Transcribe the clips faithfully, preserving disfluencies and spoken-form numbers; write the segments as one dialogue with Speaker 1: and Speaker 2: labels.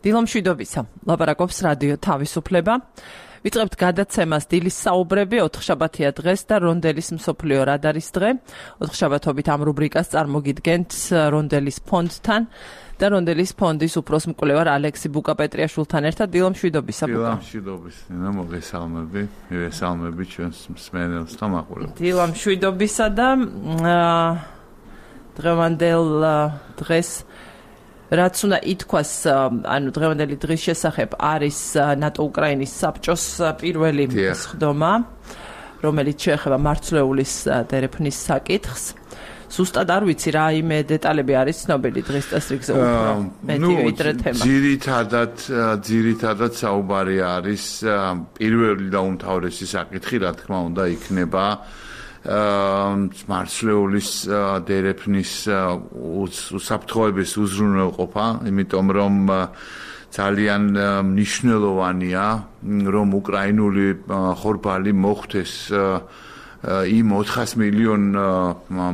Speaker 1: დილომშვიდობისა, ლაპარაკობს რადიო თავისუფლება. ვიწყებთ გადაცემას დილის საუბრები, ოთხშაბათია დღეს და რონდელის მსოფლიო რადარის დღე. ოთხშაბათობით ამ რუბრიკას წარმოგიდგენთ რონდელის ფონდთან და რონდელის ფონდის უფროს მკვლევარ ალექსი ბუკა-პეტრიაშვილთან ერთად. დილომშვიდობისა, ბუკა.
Speaker 2: დილომშვიდობის, მოგესალმები, მივესალმები ჩვენს მსმენელს და მაყურებელს.
Speaker 1: დილომშვიდობისა და დღევანდელ დღეს რაც უნდა ითქვას, ანუ დღევანდელი დღის შესახებ არის ნატო-უკრაინის საბჭოს პირველი სხდომა, რომელიც შეეხება მარცვლეულის დერეფნის საკითხს. Ზუსტად არ ვიცი რა იმე დეტალები არის ცნობილი დღის წესრიგზე უფრო მეტი ვიდრე თემა.
Speaker 2: ძირითადად ძირითადად საუბარი არის პირველი და უმთავრესი საკითხი, რა თქმა უნდა, იქნება მარცვლეულის დერეფნის უსაფრთხოების უზრუნველყოფა, იმიტომ რომ ძალიან მნიშვნელოვანია, რომ უკრაინული ხორბალი მოხვდეს იმ ოთხას მილიონ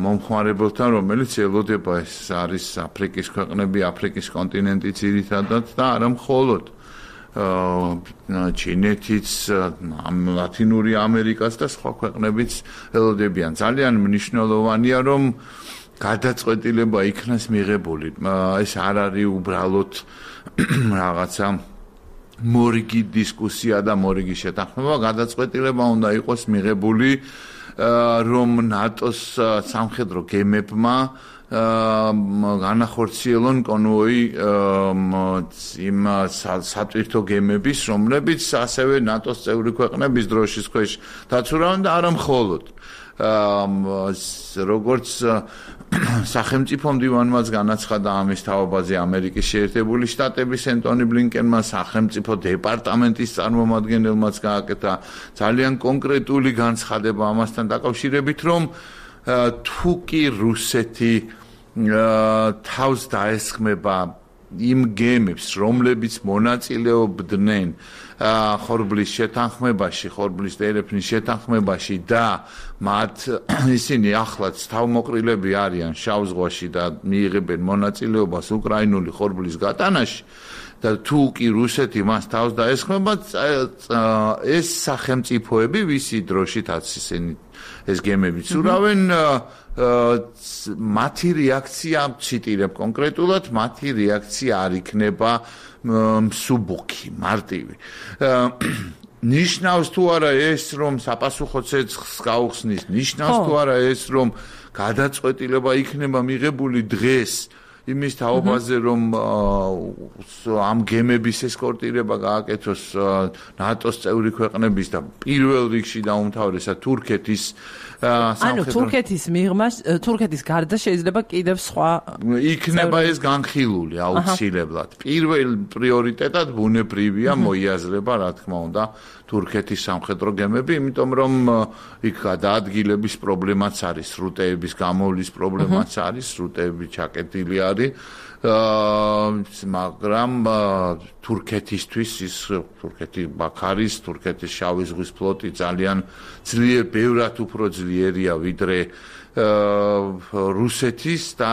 Speaker 2: მომხმარებელთან, რომელიც ელოდება, ეს არის აფრიკის ქვეყნები, აფრიკის კონტინენტი ძირითადად და არა მხოლოდ ჩინეთიც, ლათინური ამერიკაც და სხვა ქვეყნებიც ელოდებიან. ძალიან მნიშვნელოვანია, რომ გადაწყვეტილება იქნას მიღებული. ეს არ არის უბრალოდ რაღაცა მორიგი დისკუსია და მორიგი შეთანხმება, გადაწყვეტილება უნდა იყოს მიღებული, რომ ნატოს სამხედრო გემებმა განახორციელონ კონვოი იმ სატვირთო გემების, რომლებიც ასევე ნატოს წევრი ქვეყნების დროშის ქვეშ დაცურავენ და არა მხოლოდ. როგორც სახელმწიფო მდივანმაც განაცხადა ამის თაობაზე ამერიკის შეერთებული შტატების ენტონი ბლინკენმა, სახელმწიფო დეპარტამენტის წარმომადგენელმაც გააკეთა ძალიან კონკრეტული განცხადება ამასთან დაკავშირებით, რომ თუ კი რუსეთი თავს დაესხმება იმ გემებს, რომლებიც მონაწილეობდნენ ხორბლის შეთანხმებაში, ხორბლის დერეფნის შეთანხმებაში და მათ ისინი ახლაც თავმოყრილები არიან შავ ზღვაში და მიიღებენ მონაწილეობას უკრაინული ხორბლის გატანაში და თუ კი რუსეთი მას თავს დაესხმება, ეს სახელმწიფოები, ვისი დროშითაც ისინი ეს გემები ცურავენ, მათი რეაქცია, ციტირებ კონკრეტულად, მათი რეაქცია არ იქნება მსუბუქი, მარტივი. ნიშნავს თუ არა ეს, რომ საპასუხო ცეცხლს გაუხსნის, ნიშნავს თუ არა ეს, რომ გადაწყვეტილება იქნება მიღებული დღეს იმის თაობაზე, რომ ამ გემების ესკორტირება გააკეთოს ნატოს წევრი ქვეყნების და პირველ რიგში და უმთავრესად თურქეთის
Speaker 1: ანუ თურქეთის მიღმა, თურქეთის გარდა შეიძლება კიდევ სხვა
Speaker 2: იქნება ეს განხილული აუცილებლად. პირველ პრიორიტეტად ბუნებრივია მოიაზრება, რა თქმა უნდა, თურქეთის სამხედრო გემები, იმიტომ რომ იქ გადაადგილების პრობლემაც არის, სრუტეების გამოვლის პრობლემაც არის, სრუტეები ჩაკეტილი არის, მაგრამ თურქეთისთვის ის თურქეთი ბაქარის, თურქეთის შავი ზღვის ფლოტი ძალიან ძლიერ, ბევრად უფრო ძლიერია ვიდრე რუსეთის და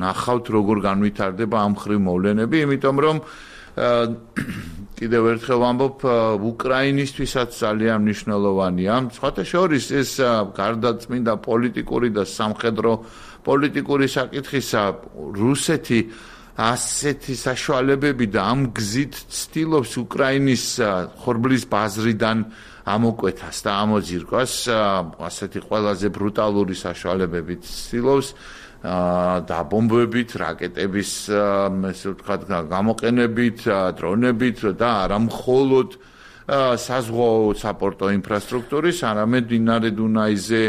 Speaker 2: ნახავთ როგორ განვითარდება ამ ხრივ მოვლენები, იმიტომ რომ კიდევ ერთხელ ვამბობ, უკრაინისთვისაც ძალიან მნიშვნელოვანია. სხვათა შორის ეს გარდაწმინდა პოლიტიკური და სამხედრო პოლიტიკური საკითხისა, რუსეთი ასეთი საშუალებები და ამ გზით ცდილობს უკრაინის ხორბლის ბაზრიდან ამოკვეთას და ამოძირკვას, ასეთი ყველაზე ბრუტალური საშუალებებით ცდილობს დაბომბებით, რაკეტების ესე ვთქვათ გამოყენებით, დრონებით და არა მხოლოდ საზღვაო საპორტო ინფრასტრუქტურის, არამედ მდინარე დუნაიზე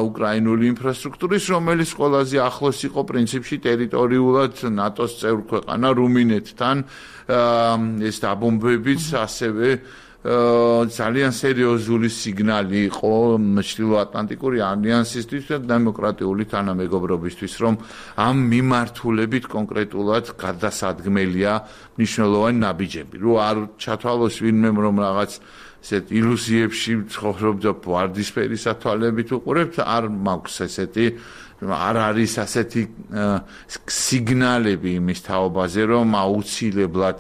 Speaker 2: უკრაინული ინფრასტრუქტურის, რომელიც ყველაზე ახლოს იყო პრინციპში ტერიტორიულად ნატოს წევრ ქვეყანა რუმინეთთან, ეს დაბომბებიც ასევე ძალიან სერიოზული სიგნალი იყო ჩრდილოატლანტიკური ალიანსისთვის და დემოკრატიული თანამეგობრობისთვის, რომ ამ მიმართულებით კონკრეტულად გადასადგმელია მნიშვნელოვანი ნაბიჯები. რო არ ჩათვალოს ვინმე, რომ რაღაც ესეთ ილუზიებში ცხოვრობდა ვარდისფერი სათვალებით უყურებთ არ მაქვს ესეთი არ არის ასეთი სიგნალები იმის თაობაზე რომ აუცილებლად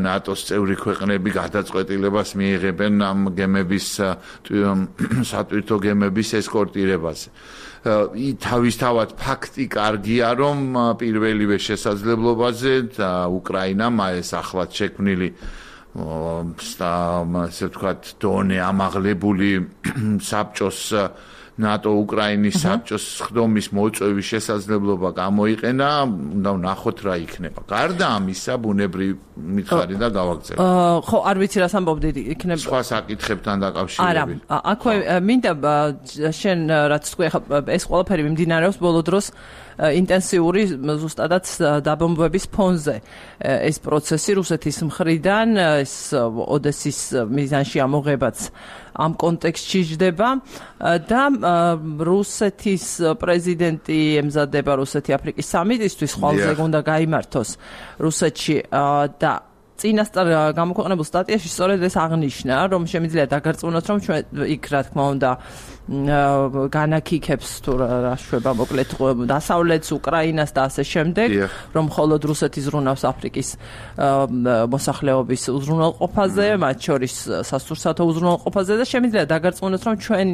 Speaker 2: ნატოს წევრი ქვეყნები გადაწყვეტილებას მიიღებენ ამ გემების სატვირთო გემების ესკორტირებაზე თავისთავად ფაქტი კარგია რომ პირველივე შესაძლებლობაზე უკრაინამ ეს ახლად შექმნილი ასე ვთქვათ დონე ამაღლებული საბჭოს ნატო უკრაინის საბჭოს ხდომის მოწვევის შესაძლებლობა გამოიყენა, უნდა ვნახოთ რა იქნება. გარდა ამისა, ბუნებრივი მითხარი და გავაგზავნე.
Speaker 1: ხო, არ ვიცი რას ამბობდი, იქნება
Speaker 2: სხვა საკითხებთან დაკავშირებით.
Speaker 1: არა, აქვე მინდა შენ რაც თქვი, ეს ყველაფერი მიმდინარეობს ბოლო დროს ინტენსიური ზუსტადაც დაბომბვების ფონზე ეს პროცესი რუსეთის მხრიდან ეს ოდესის მიზანში ამოღებაც ამ კონტექსტში ჯდება და რუსეთის პრეზიდენტი ემზადება რუსეთი აფრიკის სამიტისთვის ხვალზე უნდა გაიმართოს რუსეთში და წინასწარ გამოქვეყნებულ სტატიაში სწორედ ეს აღნიშნა რომ შემიძლია დაგარწმუნოთ რომ ჩვენ იქ რა თქმა უნდა განაკიქებს თუ რა შვება მოკლედ დასავლეთს უკრაინას და ასე შემდეგ რომ მხოლოდ რუსეთი ზრუნავს აფრიკის მოსახლეობის უზრუნველყოფაზე მათ შორის სასურსათო უზრუნველყოფაზე და შემიძლია დაგარწმუნოთ რომ ჩვენ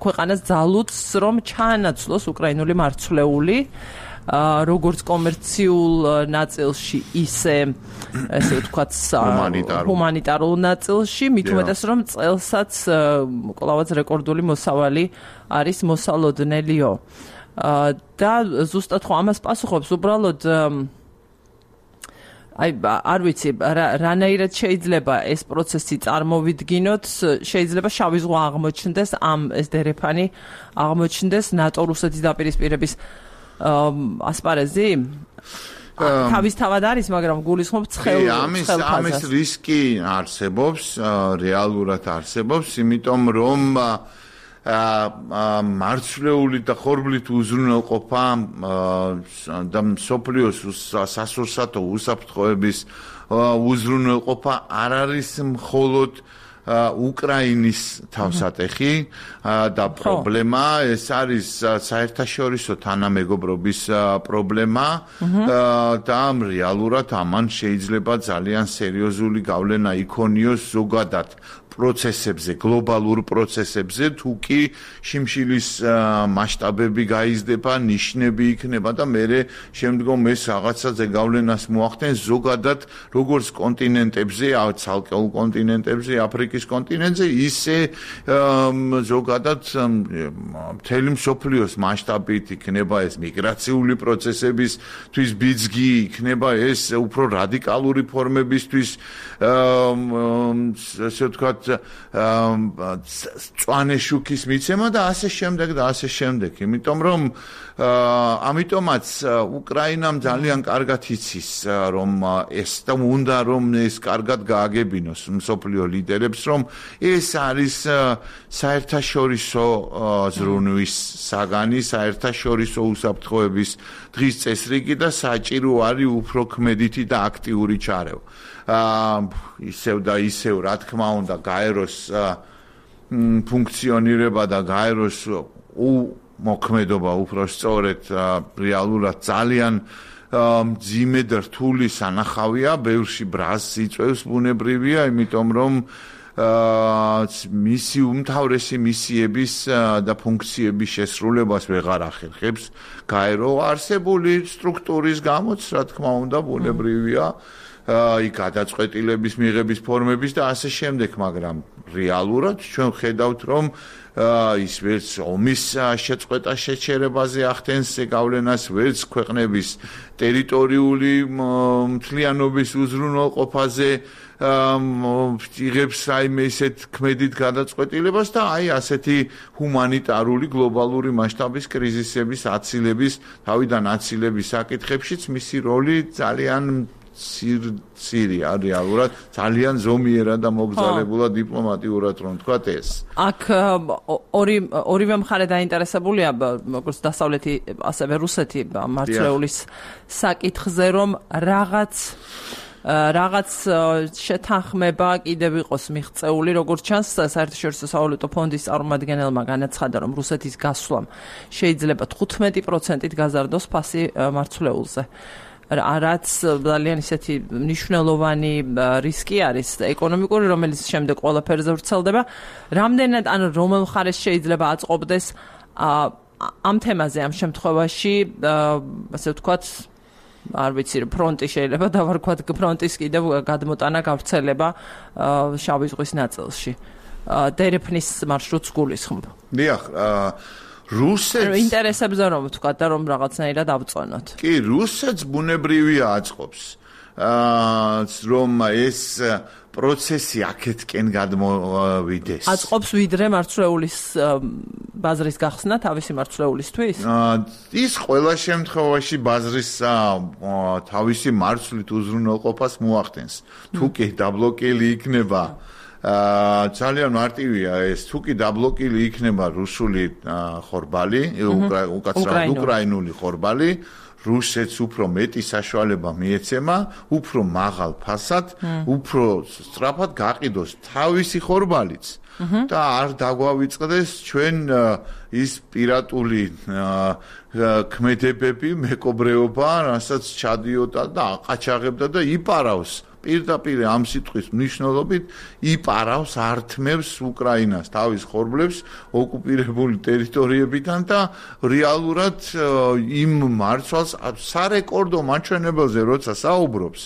Speaker 1: ქვეყანას ძალუძს რომ ჩაანაცვლოს უკრაინული მარცვლეული როგორც კომერციულ ნაწილში ისე ესე ვთქვათ ჰუმანიტარულ ნაწილში მით უმეტეს რომ წელსაც კლავაც რეკორდული მოსავალი არის მოსალოდნელიო და ზუსტად ხო ამას პასუხობს უბრალოდ აი არ ვიცი რანაირად შეიძლება ეს პროცესი წარმოვიდგინოთ შეიძლება შავი ზღვა აღმოჩნდეს ამ ეს დერეფანი აღმოჩნდეს ნატო რუსეთის დაპირისპირების ასპარეზი თავისთავად არის, მაგრამ გულისხმობ ცხელ
Speaker 2: ამის ამის რისკი არსებობს, რეალურად არსებობს, იმიტომ რომ მარცვლეული და ხორბლით უზრუნველყოფა და მსოფლიოს სასურსათო უსაფრთხოების უზრუნველყოფა არ არის მხოლოდ უკრაინის თავსატეხი და პრობლემა ეს არის საერთაშორისო თანამეგობრობის პრობლემა და რეალურად ამან შეიძლება ძალიან სერიოზული გავლენა იქონიოს ზოგადად პროცესებზე, გლობალურ პროცესებზე, თუ კი შიმშილის მასშტაბები გაიზრდება, ნიშნები იქნება და მე შემდგომ ეს რაღაცაზე გავლენას მოახდენს ზოგადად როგორც კონტინენტებზე, ცალკეულ კონტინენტებზე, აფრიკის კონტინენტზე, ისე ზოგადად მთელი მსოფლიოს მასშტაბით იქნება ეს მიგრაციული პროცესებისთვის ბიძგი, იქნება ეს უფრო რადიკალური ფორმებისთვის ასე ვთქვათ წვანე შუქის მიცემა და ასე შემდეგ და ასე შემდეგ. იმიტომ რომ ამიტომაც უკრაინამ ძალიან კარგად იცის რომ ეს და უნდა რომ ეს კარგად გააგებინოს მსოფლიო ლიდერებს რომ ეს არის საერთაშორისო ზრუნვის საგანი, საერთაშორისო უსაფრთხოების დღის წესრიგი და საჭირო არის უფრო ქმედითი და აქტიური ჩარევა. ისევ და ისევ რა თქმა უნდა გაეროს ფუნქციონირება და გაეროს მოქმედობა უფრო სწორედ რეალურად ძალიან მძიმე და რთული სანახავია, ბევრში ბრაზს იწვევს ბუნებრივია, იმიტომ რომ მისი უმთავრესი მისიების და ფუნქციების შესრულებას ვეღარ ახერხებს გაერო არსებული სტრუქტურის გამოც, რა თქმა უნდა, ბუნებრივია აი გადაწყვეტილების მიღების ფორმების და ასე შემდეგ, მაგრამ რეალურად ჩვენ ხედავთ რომ ის ვერც ომის შეწყვეტა შეჩერებაზე ახდენს გავლენას, ვერც ქვეყნების ტერიტორიული მთლიანობის უზრუნველყოფაზე იღებს რაიმე ისეთ ქმედით გადაწყვეტილებას და აი ასეთი ჰუმანიტარული გლობალური მასშტაბის კრიზისების აცილების, თავიდან აცილების საკითხებშიც მისი როლი ძალიან სირია რეალურად ძალიან ზომიერად და მოგზაურებულად დიპლომატიურად რომ თქვათ ეს.
Speaker 1: აქ ორი ორივე მხარე დაინტერესებულია როგორც დასავლეთი ასევე რუსეთი მარცვლეულის საკითხზე რომ რაღაც რაღაც შეთანხმება კიდევ იყოს მიღწეული, როგორც ჩანს, საერთაშორისო სავალუტო ფონდის წარმომადგენელმა განაცხადა, რომ რუსეთის გასვლამ შეიძლება თხუთმეტი პროცენტით გაზარდოს ფასი მარცვლეულზე. რაც ძალიან ისეთი მნიშვნელოვანი რისკი არის ეკონომიკური, რომელიც შემდეგ ყველაფერზე ვრცელდება. რამდენად ან რომელ მხარეს შეიძლება აწყობდეს ამ თემაზე ამ შემთხვევაში, ასე ვთქვათ, არ ვიცი, ფრონტი შეიძლება დავარქვათ, ფრონტის კიდევ გადმოტანა გავრცელება შავი ზღვის ნაწილში. დერეფნის მარშრუტს გულისხმობ.
Speaker 2: დიახ, რუსეთს
Speaker 1: ინტერესებზე რომ ვთქვათ და რომ რაღაცნაირად ავწონოთ.
Speaker 2: კი, რუსეთს ბუნებრივია აწყობს, რომ ეს პროცესი აქეთკენ გადმოვიდეს.
Speaker 1: აწყობს ვიდრე მარცვლეულის ბაზრის გახსნა თავისი მარცვლეულისთვის?
Speaker 2: ის ყველა შემთხვევაში ბაზრის თავისი მარცვლით უზრუნველყოფას მოახდენს. თუ კი დაბლოკილი იქნება აა ძალიან მარტივია ეს, თუ კი დაბლოკილი იქნება რუსული ხორბალი, უკაცრავად უკრაინული ხორბალი, რუსეთს უფრო მეტი საშუალება მიეცემა, უფრო მაღალ ფასად, უფრო სწრაფად გაყიდოს თავისი ხორბალიც და არ დაგვავიწყდეს ჩვენ ის პირატული ქმედებები, მეკობრეობა, რასაც ჩადიოდა და აყაჩაღებდა და იპარავს პირდაპირ ამ სიტყვის მნიშვნელობით იპარავს, ართმევს უკრაინას თავის ხორბლებს ოკუპირებული ტერიტორიებიდან და რეალურად იმ მარცვალს სარეკორდო მაჩვენებელზე როცა საუბრობს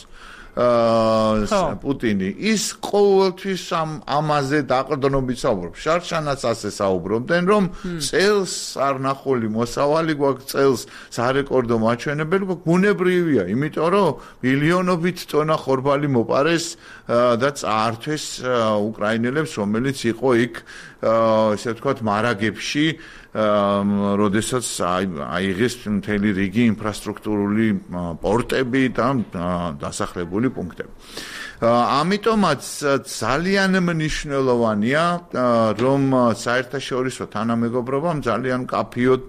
Speaker 2: პუტინი ის ყოველთვის ამ ამაზე დაყრდნობით საუბრობს. შარშანაც ასე საუბრობდნენ, რომ წელს არ ნახული მოსავალი გვაქვს, წელს სარეკორდო მაჩვენებელი გვაქვს, ბუნებრივია, იმიტომ რომ მილიონობით ტონა ხორბალი მოპარეს და წაართვეს უკრაინელებს, რომელიც იყო იქ ესე ვთქვათ მარაგებში, როდესაც აიღეს მთელი რიგი ინფრასტრუქტურული პორტები და დასახლებული პუნქტები. ამიტომაც ძალიან მნიშვნელოვანია, რომ საერთაშორისო თანამეგობრობამ ძალიან კაფიოდ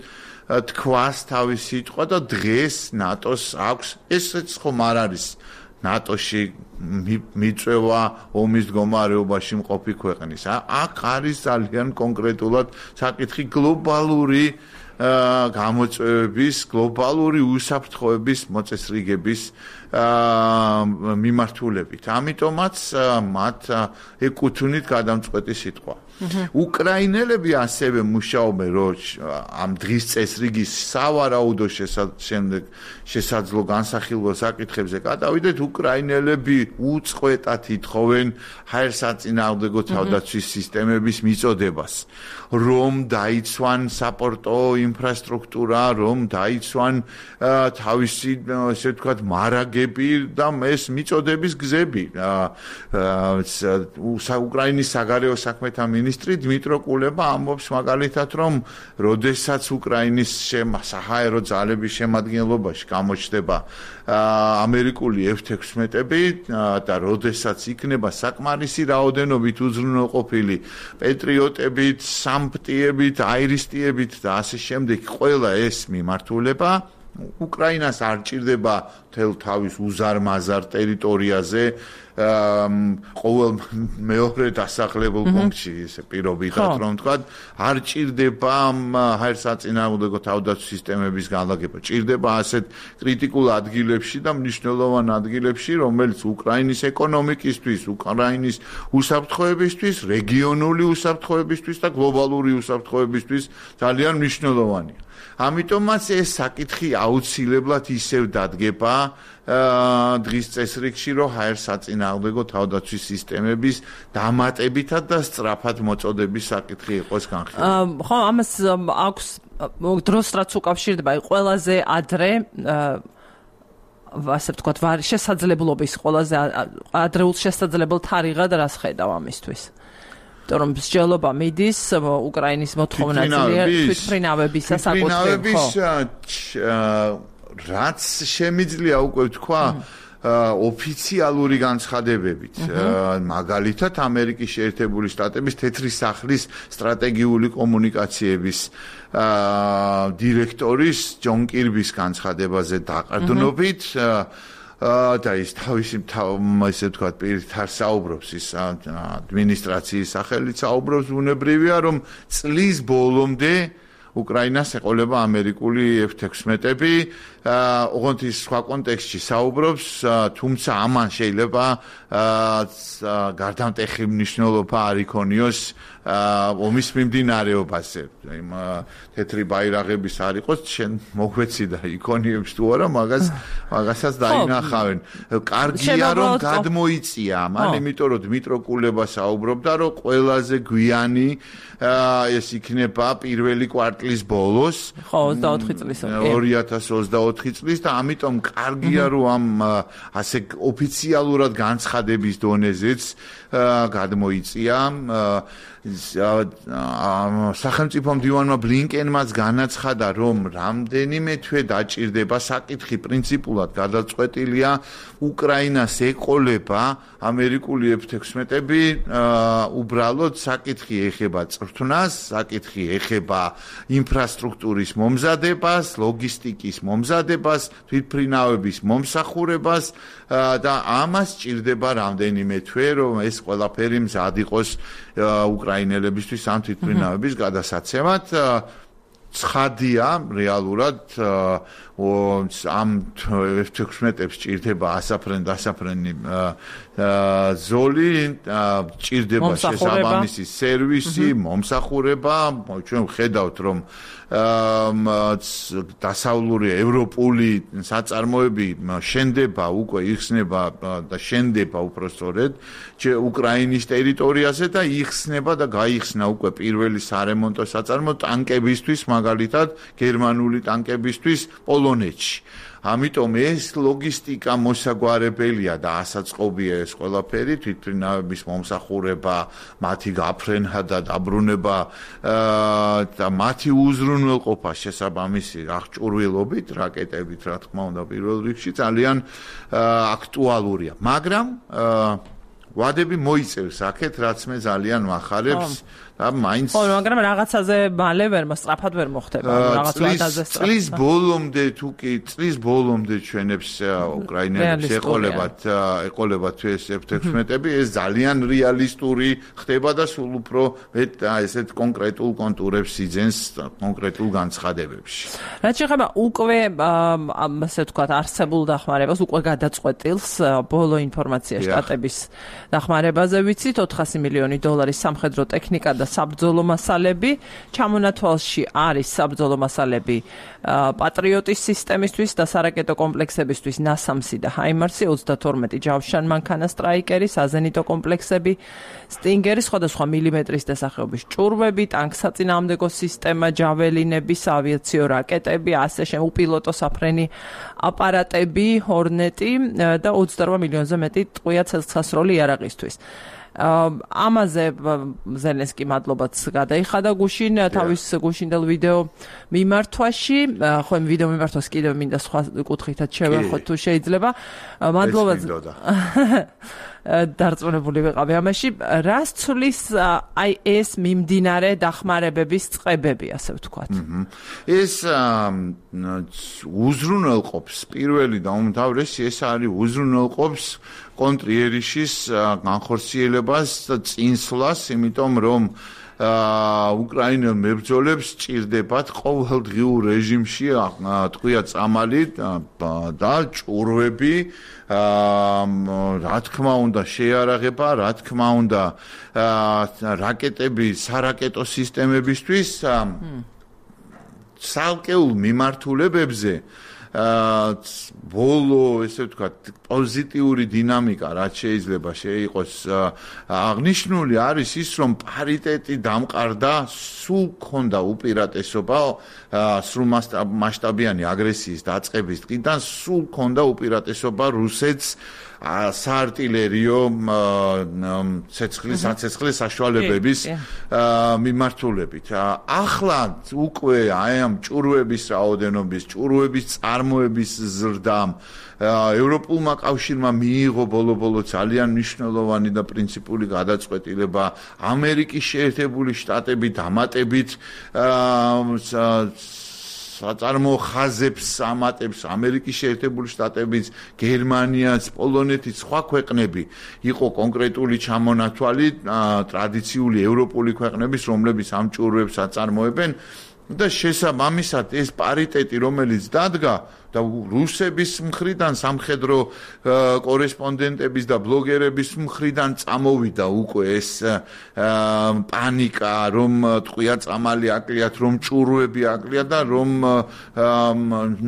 Speaker 2: თქვას თავის სიტყვა და დღეს ნატოს აქვს, ესეც ხომ არ არის ნატოში მიწვევა ომის მდგომარეობაში მყოფი ქვეყნის. აქ არის ძალიან კონკრეტულად საკითხი გლობალური გამოწვევების, გლობალური უსაფრთხოების მოწესრიგების მიმართულებით. ამიტომაც მათ ეკუთვნით გადამწყვეტი სიტყვა. უკრაინელები ასევე მუშაობენ, რომ ამ დღის წესრიგის სავარაუდო შემდეგ შესაძლო განსახილველ საკითხებზე გადავიდეთ, უკრაინელები უწყვეტად ითხოვენ ჰაერსაწინააღმდეგო თავდაცვის სისტემების მიწოდებას, რომ დაიცვან საპორტო ინფრასტრუქტურა, რომ დაიცვან თავისი, ესე ვთქვათ, მარაგები და ეს მიწოდების გზები. უკრაინის საგარეო საქმეთა მინისტრი დმიტრო კულება ამბობს მაგალითად, რომ როდესაც უკრაინის საჰაერო ძალების შემადგენლობაში გამოჩნდება ამერიკული ეფ ექვსმეტები და როდესაც იქნება საკმარისი რაოდენობით უზრუნველყოფილი პეტრიოტებით, სამპტიებით, აირისტიებით და ასე შემდეგ, ყველა ეს მიმართულება უკრაინას არ ჭირდება თელ თავის უზარმაზარ ტერიტორიაზე ყოველ მეორე დასახლებულ პუნქტში ესე პირობითად რომ თქვა არ ჭირდება ჰაერსაწინააღმდეგო თავდაცვის სისტემების განლაგება, ჭირდება ასეთ კრიტიკულ ადგილებში და მნიშვნელოვან ადგილებში, რომელიც უკრაინის ეკონომიკისთვის, უკრაინის უსაფრთხოებისთვის, რეგიონული უსაფრთხოებისთვის და გლობალური უსაფრთხოებისთვის ძალიან მნიშვნელოვანია. ამიტომაც ეს საკითხი აუცილებლად ისევ დადგება დღის წესრიგში, რომ ჰაერსაწინააღმდეგო თავდაცვის სისტემების დამატებითად და სწრაფად მოწოდების საკითხი იყოს განხილული.
Speaker 1: ხო, ამას აქვს დროს რაც უკავშირდება, ყველაზე ადრე ასე ვთქვათ, შესაძლებლობის ყველაზე ადრეულ შესაძლებელ თარიღად რას ხედავ ამისთვის? რომ მსჯელობა მიდის უკრაინის მოთხოვნა თვითმფრინავებისა საკუთრებით,
Speaker 2: რაც შემიძლია უკვე ვთქვა ოფიციალური განცხადებებით, მაგალითად ამერიკის შეერთებული შტატების თეთრი სახლის სტრატეგიული კომუნიკაციების დირექტორის ჯონ კირბის განცხადებაზე დაყრდნობით და ის თავისი ესე ვთქვათ პირით არ საუბრობს ის ადმინისტრაციის სახელით საუბრობს ბუნებრივია რომ წლის ბოლომდე უკრაინას ეყოლება ამერიკული ეფ თექვსმეტები ოღონდ ის სხვა კონტექსტში საუბრობს თუმცა ამან შეიძლება გარდამტეხი მნიშვნელობა არ იქონიოს ომის მიმდინარეობაზე იმ თეთრი ბაირაღების არ იყოს შენ მოგვეცი და იქონიებს თუ არა მაგას მაგასაც დაინახავენ კარგია რომ გადმოიწია ამან იმიტომ რომ დმიტრო კულება საუბრობდა რომ ყველაზე გვიანი ეს იქნება პირველი კვარტლის ბოლოს
Speaker 1: ხო ოცდაოთხი წლის
Speaker 2: ორი ათას ოცდაოთხი წლის და ამიტომ კარგია რომ ამ ასე ოფიციალურად განცხადების დონეზეც გადმოიწია სახელმწიფო მდივანმა ბლინკენმაც განაცხადა რომ რამდენიმე თვე დაჭირდება საკითხი პრინციპულად გადაწყვეტილია უკრაინას ეყოლება ამერიკული ეფ თექვსმეტები უბრალოდ საკითხი ეხება წვრთნას საკითხი ეხება ინფრასტრუქტურის მომზადებას ლოგისტიკის მომზადებას თვითმფრინავების მომსახურებას და ამას ჭირდება რამდენიმე თვე რომ ეს ყველაფერი მზად იყოს უკრაინელებისთვის ამ თვითმფრინავების გადასაცემად ცხადია რეალურად ამ ეფ თექვსმეტებს ჭირდება ასაფრენ დასაფრენი ზოლი ჭირდება შესაბამისი სერვისი მომსახურება ჩვენ ვხედავთ რომ დასავლური ევროპული საწარმოები შენდება უკვე იხსნება და შენდება უпростоრედ უკრაინის ტერიტორიაზე და იხსნება და გაიხსნა უკვე პირველი სარემონტო საწარმო ტანკებისთვის მაგალითად გერმანული ტანკებისთვის პოლონეთში ამიტომ ეს ლოგისტიკა მოსაგვარებელია და ასაწყობია ეს ყველაფერი თვითმფრინავების მომსახურება მათი გაფრენა და დაბრუნება და მათი უზრუნველყოფა შესაბამისი აღჭურვილობით რაკეტებით რა თქმა უნდა პირველ რიგში ძალიან აქტუალურია მაგრამ ვადები მოიწერს აქეთ რაც მე ძალიან ვახარებს და მაინც
Speaker 1: ხო მაგრამ რაღაცაზე მალე ვერ სწრაფად ვერ მოხდება რაღაც ვადაზე სწრაფად
Speaker 2: წლის ბოლომდე თუ კი წლის ბოლომდე ჩვენებს უკრაინელებს ეყოლებათ ეყოლებათ ეს ეფ თექვსმეტები ეს ძალიან რეალისტური ხდება და სულ უფრო ესეთ კონკრეტულ კონტურებს იძენს კონკრეტულ განცხადებებში
Speaker 1: რაც შეეხება უკვე ასე ვთქვათ არსებულ დახმარებას უკვე გადაწყვეტილს ბოლო ინფორმაცია შტატების დახმარებაზე ვიცით ოთხასი მილიონი დოლარის სამხედრო ტექნიკა და საბრძოლო მასალები ჩამონათვალში არის საბრძოლო მასალები პატრიოტის სისტემისთვის და სარაკეტო კომპლექსებისთვის ნასამსი და ჰაიმარსი ოცდათორმეტი ჯავშან მანქანა სტრაიკერი საზენიტო კომპლექსები სტინგერი სხვადასხვა მილიმეტრის დასახელების ჭურვები ტანკსაწინააღმდეგო სისტემა ჯაველინები საავიაციო რაკეტები ასე შემდეგ უპილოტო საფრენი აპარატები ჰორნეტი და ოცდარვა მილიონზე მეტი ტყვია ცეცხლსასროლი იარაღისთვის ამაზე ზელენსკი მადლობაც გადაიხადა გუშინ თავის გუშინდელ ვიდეო მიმართვაში ხო იმ ვიდეო მიმართვას კიდევ მინდა სხვა კუთხითაც შევეხოთ თუ შეიძლება მადლობაც დარწმუნებული ვიყავი ამაში რას ცulis აი ეს მიმდინარე დახმარებების წყებები ასე ვთქვათ
Speaker 2: ეს უზრუნველყოფს პირველი და უმთავრესი ეს არის უზრუნველყოფს კონტრიერიშის განხორციელებას და წინსვლას იმიტომ რომ უკრაინელ მებრძოლებს ჭირდებათ ყოველდღიურ რეჟიმში ტყვია წამალი და ჭურვები რა თქმა უნდა შეიარაღება რა თქმა უნდა რაკეტები სარაკეტო სისტემებისთვის ცალკეულ მიმართულებებზე ბოლო ესე ვთქვათ პოზიტიური დინამიკა რაც შეიძლება შეიყოს აღნიშნული არის ის რომ პარიტეტი დამყარდა სულ ქონდა უპირატესობა სრულ მასშტაბიანი აგრესიის დაწყების დღიდან სულ ქონდა უპირატესობა რუსეთს საარტილერიო ცეცხლის საცეცხლის საშუალებების მიმართულებით. ახლა უკვე აი ამ ჭურვების რაოდენობის, ჭურვების წარმოების ზრდამ ევროპულმა კავშირმა მიიღო ბოლო-ბოლო ძალიან მნიშვნელოვანი და პრინციპული გადაწყვეტილება ამერიკის შეერთებული შტატები დამატებით საწარმოო ხაზებს ამატებს ამერიკის შეერთებული შტატებიც, გერმანიაც, პოლონეთიც, სხვა ქვეყნები იყო კონკრეტული ჩამონათვალი ტრადიციული ევროპული ქვეყნების, რომლებიც ამ ჭურვებს აწარმოებენ და შესაბამისად ეს პარიტეტი, რომელიც დადგა და რუსების მხრიდან სამხედრო კორესპონდენტების და ბლოგერების მხრიდან წამოვიდა უკვე ეს პანიკა, რომ ტყვია წამალი აკლიათ, რომ ჭურვები აკლიათ და რომ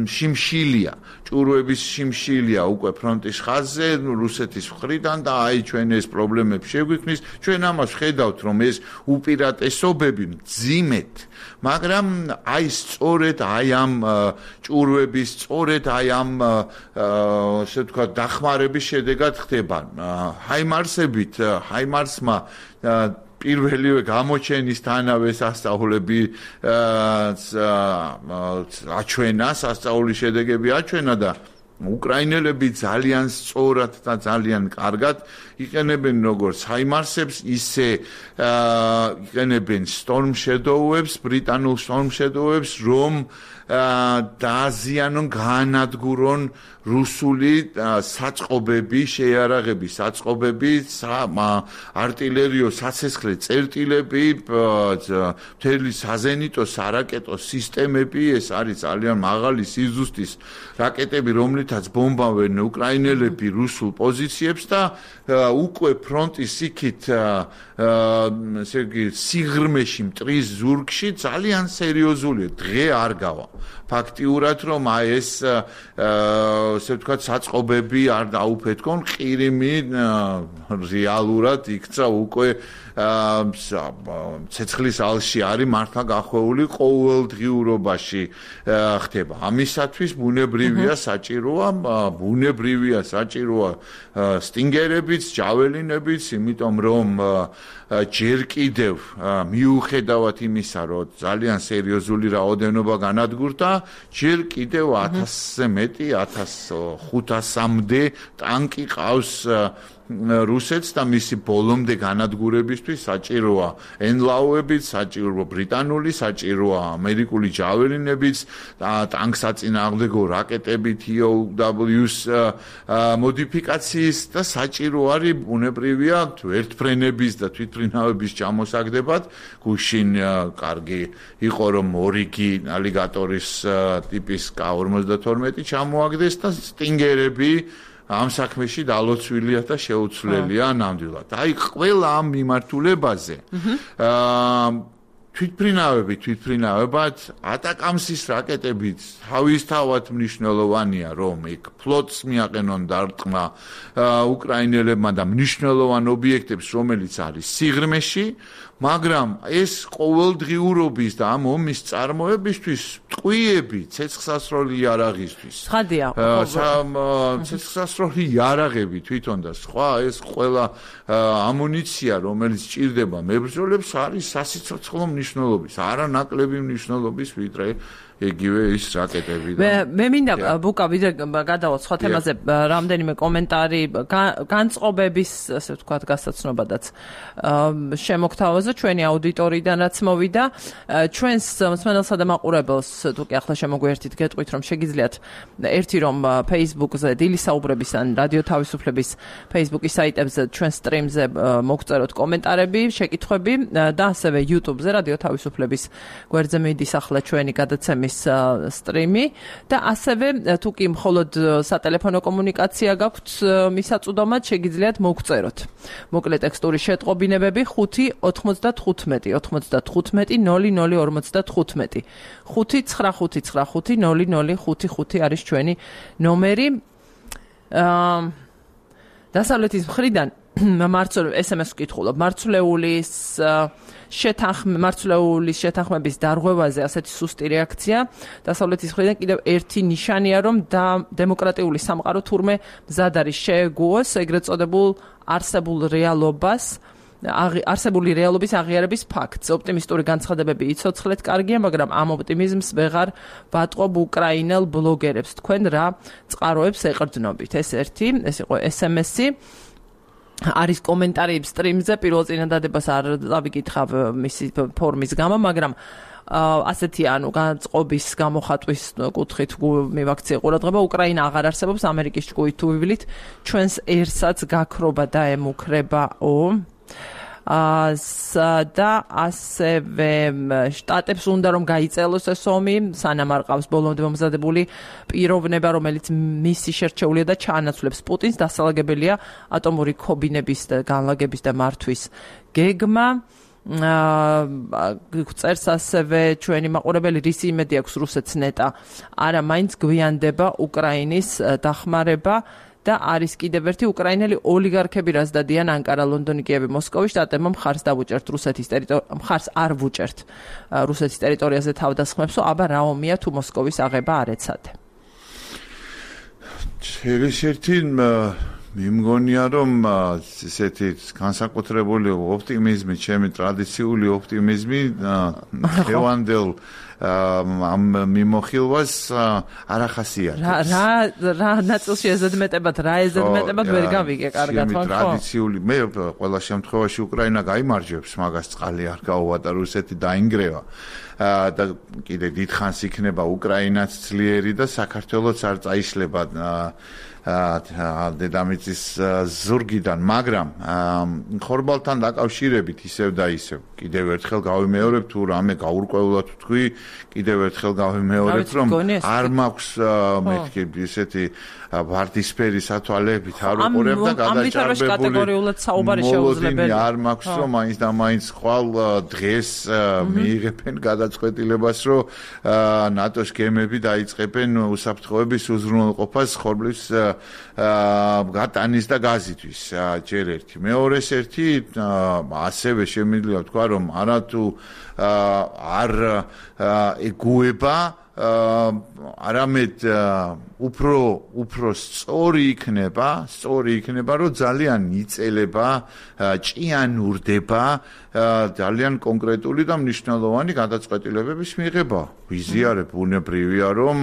Speaker 2: შიმშილია, ჭურვების შიმშილია უკვე ფრონტის ხაზზე რუსეთის მხრიდან და აი ჩვენ ეს პრობლემებს შეგვიქმნის. ჩვენ ამას ხედავთ, რომ ეს უპირატესობები მძიმედ, მაგრამ აი სწორედ აი ამ ჭურვების სწორედ აი ამ ასე ვთქვათ დახმარების შედეგად ხდება. ჰაიმარსებით, ჰაიმარსმა პირველივე გამოჩენისთანავე სასწაულები აჩვენა, სასწაულის შედეგები აჩვენა და უკრაინელები ძალიან სწორად და ძალიან კარგად იყენებენ როგორც ჰაიმარსებს, ისე იყენებენ Storm Shadow-ებს, ბრიტანულ Storm Shadow-ებს, რომ დააზიანონ, გაანადგურონ რუსული საწყობები, შეიარაღები, საწყობები, არტილერიო საცეცხლე წერტილები, მთელი საზენიტო სარაკეტო სისტემები, ეს არის ძალიან მაღალი სიზუსტის რაკეტები, რომლითაც ბომბავენ უკრაინელები რუსულ პოზიციებს და უკვე ფრონტის იქით ესე იგი სიღრმეში მტრის ზურგში ძალიან სერიოზულია, დღე არ გავა. ფაქტიურად რომ აი ეს ასე ვთქვათ საწყობები არ დაუფეთქონ, ყირიმი რეალურად იქცა უკვე ცეცხლის ალში არის მართლა გახვეული ყოველდღიურობაში ხდება. ამისათვის ბუნებრივია საჭიროა, ბუნებრივია საჭიროა სტინგერებიც, ჯაველინებიც, იმიტომ რომ ჯერ კიდევ მიუხედავად იმისა, რომ ძალიან სერიოზული რაოდენობა განადგურდა, ჯერ კიდევ ათასზე მეტი, ათას ხუთასამდე ტანკი ყავს რუსეთს და მისი ბოლომდე განადგურებისთვის საჭიროა ენლაუებიც, საჭიროა ბრიტანული, საჭიროა ამერიკული ჯაველინებიც, ტანკსაწინააღმდეგო რაკეტები T O W-ს მოდიფიკაციის და საჭირო არის ბუნებრივია ერთფრენების და თვითმფრინავების ჩამოსაგდებად. გუშინ კარგი იყო რომ ორიგი ალიგატორის ტიპის K ორმოცდათორმეტი ჩამოაგდეს და სტინგერები ამ საქმეში დალოცვილია და შეუცვლელია ნამდვილად. აი ყველა ამ მიმართულებაზე აა თვითმფრინავები, თვითმფრინავებად ატაკამსის რაკეტებით თავისთავად მნიშვნელოვანია, რომ იქ ფლოტს მიაყენონ დარტყმა უკრაინელებმა და მნიშვნელოვან ობიექტებს, რომელიც არის სიღრმეში, მაგრამ ეს ყოველდღიურობის და ამ ომის წარმოებისთვის ტყვიები ცეცხლსასროლი იარაღისთვის.
Speaker 1: ხადია.
Speaker 2: ცეცხლსასროლი იარაღები თვითონ და სხვა ეს ყველა ამუნიცია, რომელიც ჭირდება მებრძოლებს, არის სასიცოცხლო მნიშვნელობის, არანაკლები მნიშვნელობის, ვიდრე იგივე ის რაკეტები და
Speaker 1: მე მინდა ბუკა ვიდრე გადავალ სხვა თემაზე რამდენიმე კომენტარი განწყობების ასე ვთქვათ გასაცნობადაც შემოგთავაზა ჩვენი აუდიტორიიდან რაც მოვიდა ჩვენს მსმენელსა და მაყურებელს თუ კი ახლა შემოგვიერთით გეტყვით რომ შეგიძლიათ ერთი რომ Facebook-ზე დილის საუბრების ან რადიო თავისუფლების Facebook-ის საიტებზე ჩვენ სტრიმზე მოგწეროთ კომენტარები, შეკითხვები და ასევე YouTube-ზე რადიო თავისუფლების გვერდზე მიდის ახლა ჩვენი გადაცემის სტრიმი და ასევე თუ კი მხოლოდ სატელეფონო კომუნიკაცია გაქვთ მისაწვდომად შეგიძლიათ მოგწეროთ. მოკლე ტექსტური შეტყობინებები ხუთი ოცდათხუთმეტი ოცდათხუთმეტი ნული ნული ორმოცდათხუთმეტი ხუთი ცხრა ხუთი ცხრა ხუთი ნული ნული ხუთი ხუთი არის ჩვენი ნომერი. აა დასავლეთის მხრიდან მარცვლეულ ეს ემ ეს ვკითხულობ მარცვლეულის შეთანხმ მარცვლეულის შეთანხმების დარღვევაზე ასეთი სუსტი რეაქცია დასავლეთის მხრიდან კიდევ ერთი ნიშანია რომ და დემოკრატიული სამყარო თურმე მზად არის შეეგუოს ეგრეთ წოდებულ არსებულ რეალობას არსებული რეალობის აღიარების ფაქტს. ოპტიმისტური განცხადებები იცოცხლეთ კარგია, მაგრამ ამ ოპტიმიზმს ვეღარ ვატყობ უკრაინელ ბლოგერებს. თქვენ რა წყაროებს ეყრდნობით? ეს ერთი, ეს იყო ეს ემ ესი. არის კომენტარი სტრიმზე, პირველ წინადადებას არ დავიკითხავ მისი ფორმის გამო, მაგრამ ასეთი ანუ განწყობის გამოხატვის კუთხით მივაქცია ყურადღება, უკრაინა აღარ არსებობს ამერიკის ჭკუით თუ ვივლით, ჩვენს ერსაც გაქრობა და ემუქრებაო. და ასევე შტატებს უნდა რომ გაიწელოს ეს ომი, სანამ არ ყავს ბოლომდე მომზადებული პიროვნება, რომელიც მისი შერჩეულია და ჩაანაცვლებს პუტინს, დასალაგებელია ატომური ქობინების და განლაგების და მართვის გეგმა. წერს ასევე ჩვენი მაყურებელი, რის იმედი აქვს რუსეთს ნეტა, არა მაინც გვიანდება უკრაინის დახმარება და არის კიდევ ერთი უკრაინელი ოლიგარქები, რაც დადიან ანკარა, ლონდონი, კიევი, მოსკოვი, შტატებმა მხარს დავუჭერთ რუსეთის ტერიტორიაზე, მხარს არ ვუჭერთ რუსეთის ტერიტორიაზე თავდასხმებსო, აბა რა ომია თუ მოსკოვის აღება არ ეცადე.
Speaker 2: ერთ-ერთი მიმგონია რომ ესეთი განსაკუთრებული ოპტიმიზმი, ჩემი ტრადიციული ოპტიმიზმი ხევანდელ ამ მიმოხილვას არ ახასიათებს.
Speaker 1: რა რა რა ნაწილში ეზედმეტებად, რა ეზედმეტებად ვერ გავიგე კარგად, ხო?
Speaker 2: ტრადიციული, მე ყველა შემთხვევაში უკრაინა გაიმარჯვებს, მაგას წყალი არ გაუვატა, რუსეთი დაინგრევა. და კიდე დიდხანს იქნება უკრაინაც ძლიერი და საქართველოც არ წაიშლება დედამიწის ზურგიდან, მაგრამ ხორბალთან დაკავშირებით ისევ და ისევ კიდევ ერთხელ გავიმეორებ, თუ რამე გაურკვევლად ვთქვი, კიდევ ერთხელ გავიმეორებ, რომ არ მაქვს მეთქი ესეთი ვარდისფერი სათვალეებით არ უყურებ და გადაჭარბებული მოლოდინი არ მაქვს, რომ მაინც და მაინც ხვალ დღეს მიიღებენ გადაწყვეტილებას, რომ ნატოს გემები დაიწყებენ უსაფრთხოების უზრუნველყოფას ხორბლის გატანის და გაზისთვის. ჯერ ერთი. მეორეს ერთი, ასევე შემიძლია ვთქვა, რომ არათუ არ ეგუება არამედ უფრო უფრო სწორი იქნება, სწორი იქნება, რომ ძალიან იწელება, ჭიანურდება ძალიან კონკრეტული და მნიშვნელოვანი გადაწყვეტილებების მიღება. ვიზიარებ, ბუნებრივია, რომ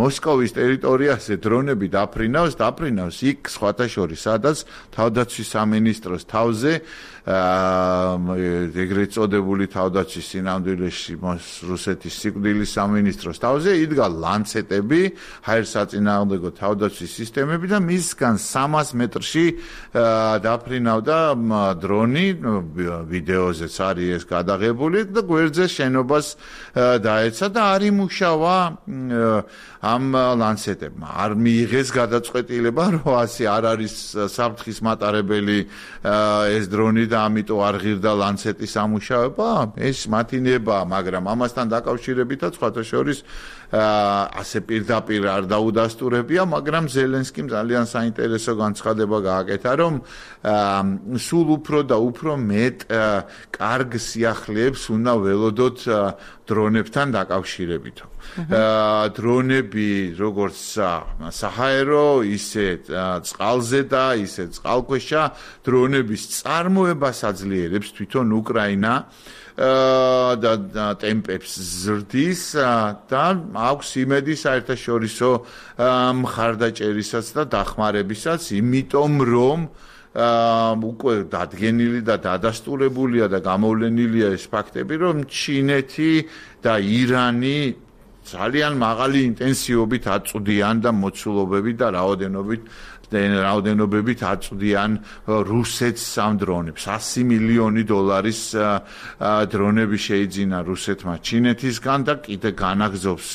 Speaker 2: მოსკოვის ტერიტორიაზე დრონები დაფრინავს, დაფრინავს იქ სხვათა შორის, სადაც თავდაცვის სამინისტროს თავზე ეგრეთ წოდებული თავდაცვის სინამდვილეში რუსეთის სიკვდილის სამინისტროს თავზე იდგა ლანცეტები, ჰაერსაწინააღმდეგო თავდაცვის სისტემები და მისგან სამას მეტრში დაფრინავდა დრონი, ვიდეოზეც არის ეს გადაღებული და გვერდზე შენობას დაეცა და არ იმუშავა ამ ლანცეტებმა. არ მიიღეს გადაწყვეტილება, რომ ასე არ არის საფრთხის მატარებელი ეს დრონი და ამიტომ არ ღირდა ლანცეტის ამუშავება. ეს მათი ნება, მაგრამ ამასთან დაკავშირებითაც სხვათა შორის ასე პირდაპირ არ დაუდასტურებია, მაგრამ ზელენსკიმ ძალიან საინტერესო განცხადება გააკეთა, რომ სულ უფრო და უფრო მეტ კარგ სიახლეებს უნდა ველოდოთ დრონებთან დაკავშირებით. დრონები როგორც საჰაერო, ისე წყალზე და ისე წყალქვეშა დრონების წარმოებას აძლიერებს თვითონ უკრაინა და ტემპებს ზრდის და აქვს იმედი საერთაშორისო მხარდაჭერისაც და დახმარებისაც, იმიტომ რომ უკვე დადგენილი და დადასტურებულია და გამოვლენილია ეს ფაქტები, რომ ჩინეთი და ირანი ძალიან მაღალი ინტენსივობით აწვდიან და მოცულობებით და რაოდენობით რაოდენობებით აწვდიან რუსეთს ამ დრონებს. ასი მილიონი დოლარის დრონები შეიძინა რუსეთმა ჩინეთისგან და კიდე განაგზობს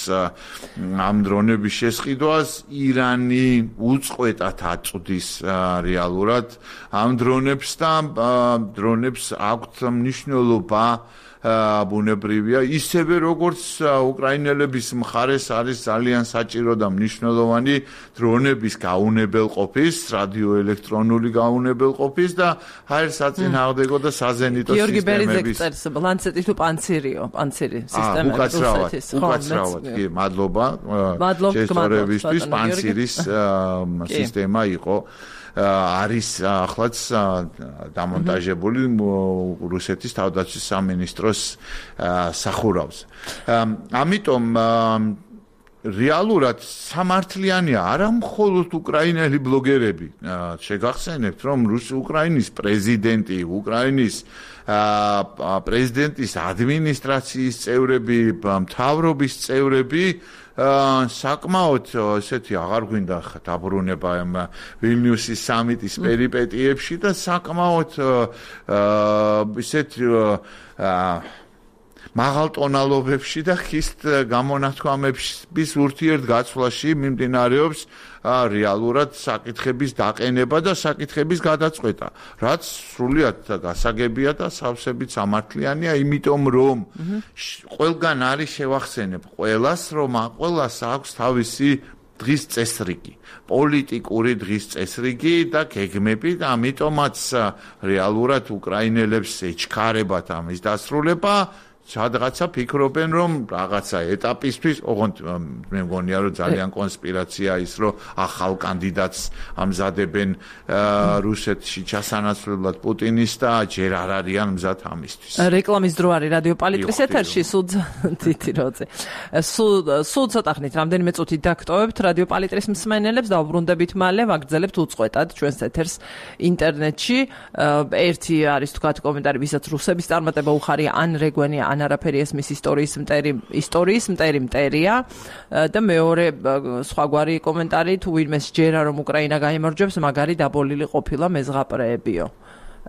Speaker 2: ამ დრონების შესყიდვას. ირანი უწყვეტად აწვდის რეალურად ამ დრონებს და დრონებს აქვთ მნიშვნელობა ბუნებრივია, ისევე როგორც უკრაინელების მხარეს არის ძალიან საჭირო და მნიშვნელოვანი დრონების გაუნებელყოფის, რადიოელექტრონული გაუნებელყოფის და ჰაერსაწინააღმდეგო და საზენიტო სისტემების.
Speaker 1: გიორგი ბერიძე წერს, ლანცეტი თუ პანცირიო, პანცირი სისტემა
Speaker 2: რუსეთის. უკაცრავად, კი, მადლობა. შესწორებისთვის პანცირის სისტემა იყო. არის ახლაც დამონტაჟებული რუსეთის თავდაცვის სამინისტროს სახურავზე. ამიტომ რეალურად სამართლიანია არა მხოლოდ უკრაინელი ბლოგერები. შეგახსენებთ, რომ რუსი-უკრაინის პრეზიდენტი, უკრაინის პრეზიდენტის ადმინისტრაციის წევრები, მთავრობის წევრები საკმაოდ ესეთი აღარ გვინდა დაბრუნება ამ ვილნიუსის სამიტის პერიპეტიებში და საკმაოდ ესეთი მაღალ ტონალობებში და ხისტ გამონათქვამების ურთიერთგაცვლაში მიმდინარეობს რეალურად საკითხების დაყენება და საკითხების გადაწყვეტა, რაც სრულიად გასაგებია და სავსებით სამართლიანია, იმიტომ რომ ყველგან არის შევახსენებ ყველას, რომ ყველას აქვს თავისი დღის წესრიგი, პოლიტიკური დღის წესრიგი და გეგმები და ამიტომაც რეალურად უკრაინელებს ეჩქარებათ ამის დასრულება. Სადღაცა ფიქრობენ, რომ რაღაცა ეტაპისთვის, ოღონდ მე მგონია, რომ ძალიან კონსპირაცია ის, რომ ახალ კანდიდატს ამზადებენ რუსეთში ჩასანაცვლებლად პუტინის და ჯერ არ არიან მზად ამისთვის.
Speaker 1: რეკლამის დრო არის რადიო პალიტრის ეთერში, სულ თითი როზე. სულ ცოტა ხნით, რამდენიმე წუთით დაგტოვებთ რადიო პალიტრის მსმენელებს და უბრუნდებით მალე ვაგრძელებთ უწყვეტად ჩვენს ეთერს ინტერნეტში. ერთი არის თქვათ კომენტარი, ვისაც რუსების წარმატება უხარია, ან რეგვენია ან არაფერი ესმის ისტორიის მტერი ისტორიის მტერი მტერია და მეორე სხვაგვარი კომენტარი თუ ვინმე სჯერა რომ უკრაინა გაიმარჯვებს მაგარი დაბოლილი ყოფილა მეზღაპრეებიო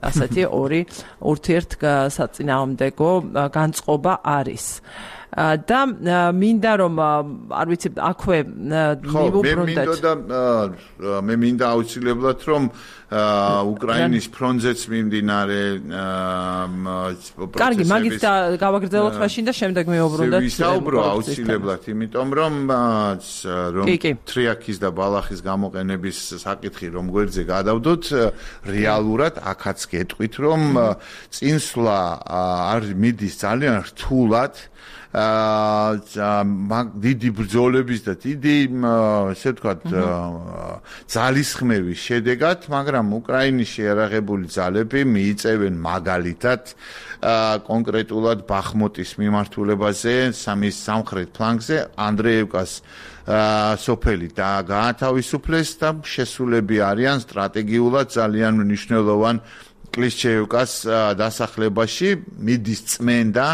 Speaker 1: ასეთი ორი ურთიერთსაწინააღმდეგო განწყობა არის და მინდა რომ არ ვიცი აქვე
Speaker 2: მივუბრუნდეთ მე მინდა აუცილებლად რომ უკრაინის ფრონტზეც მიმდინარე
Speaker 1: კარგი მაგით გავაგრძელოთ მაშინ და შემდეგ მივუბრუნდეთ
Speaker 2: ვისაუბრო აუცილებლად იმიტომ რომ რომ ტრიაკის და ბალახის გამოყენების საკითხი რომ გვერდზე გადავდოთ რეალურად აქაც გეტყვით რომ წინსვლა არ მიდის ძალიან რთულად მაგ დიდი ბრძოლების და დიდი ესე ვთქვათ ძალისხმევის შედეგად, მაგრამ უკრაინის შეიარაღებული ძალები მიიწევენ მაგალითად კონკრეტულად ბახმუტის მიმართულებაზე, სამის სამხრეთ ფლანგზე, ანდრეევკას სოფელი და გაათავისუფლეს და შესულები არიან სტრატეგიულად ძალიან მნიშვნელოვან კლიშჩეევკას დასახლებაში მიდის წმენდა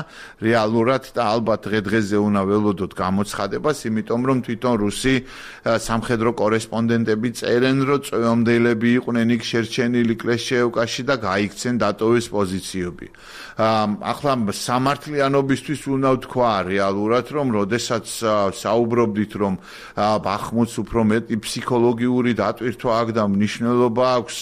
Speaker 2: რეალურად და ალბათ დღე-დღეზე უნდა ველოდოთ გამოცხადებას, იმიტომ რომ თვითონ რუსი სამხედრო კორესპონდენტები წერენ, რომ წვევამდელები იყვნენ იქ შერჩენილი კლიშჩეევკაში და გაიქცენ დატოვეს პოზიციები. ახლა სამართლიანობისთვის უნდა ვთქვა რეალურად, რომ როდესაც საუბრობდით, რომ ბახმუტს უფრო მეტი ფსიქოლოგიური დატვირთვა აქვს და მნიშვნელობა აქვს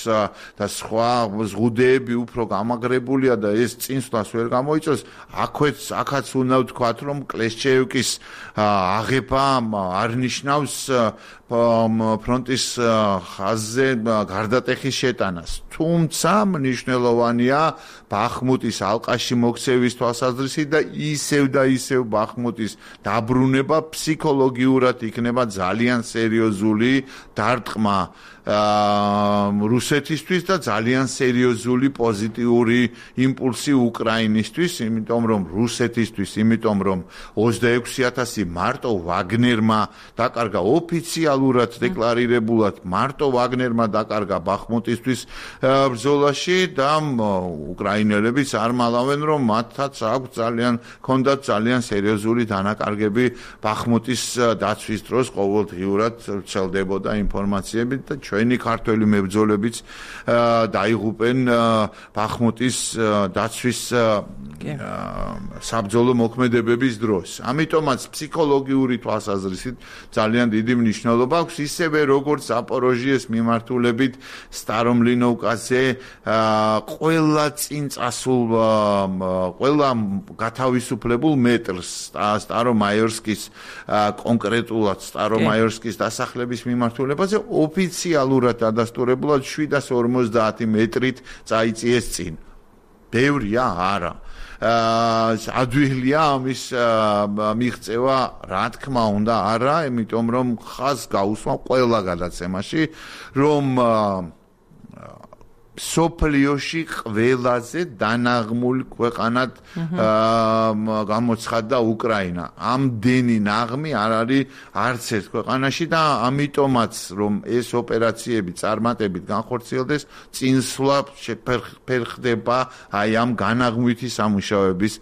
Speaker 2: და სხვა ზღუდეები უფრო გამაგრებულია და ეს წინსვლას ვერ გამოიწვევს, აქვეც აქაც უნდა ვთქვათ, რომ კლიშჩეევკის აღება არ ნიშნავს ფრონტის ხაზზე გარდატეხის შეტანას. თუმცა მნიშვნელოვანია ბახმუტის ალყაში მოქცევის თვალსაზრისით და ისევ და ისევ ბახმუტის დაბრუნება ფსიქოლოგიურად იქნება ძალიან სერიოზული დარტყმა რუსეთისთვის და ძალიან სერიოზული პოზიტიური იმპულსი უკრაინისთვის, იმიტომ რომ რუსეთისთვის, იმიტომ რომ ოცდაექვსი ათასი მარტო ვაგნერმა დაკარგა ოფიციალურად დეკლარირებულად მარტო ვაგნერმა დაკარგა ბახმუტისთვის ბრძოლაში და უკრაინელებიც არ მალავენ რომ მათაც აქვს ძალიან ქონდათ ძალიან სერიოზული დანაკარგები ბახმუტის დაცვის დროს ყოველდღიურად ვრცელდებოდა ინფორმაციები და ჩვენი ქართველი მებრძოლებიც დაიღუპენ ბახმუტის დაცვის საბრძოლო მოქმედებების დროს. ამიტომაც ფსიქოლოგიური თვალსაზრისით ძალიან დიდი მნიშვნელობა აქვს ისევე როგორც ზაპოროჟიეს მიმართულებით სტარომლინოვკაზე ყველა წინ წასულ ყველა გათავისუფლებულ მეტრს სტარომაიორსკის კონკრეტულად სტარომაიორსკის დასახლების მიმართულებაზე ოფიციალურად დადასტურებულად შვიდას ორმოცდაათი მეტრით წაიწიეს წინ. ბევრია არა. ადვილია ამის მიღწევა რა თქმა უნდა არა, იმიტომ რომ ხაზს გაუსვა ყველა გადაცემაში, რომ სოფლიოში ყველაზე დანაღმული ქვეყანად გამოცხადდა უკრაინა. ამდენი ნაღმი არ არის არც ერთ ქვეყანაში და ამიტომაც რომ ეს ოპერაციები წარმატებით განხორციელდეს, წინსვლა შეფერხდება აი ამ განაღმვითი სამუშაოების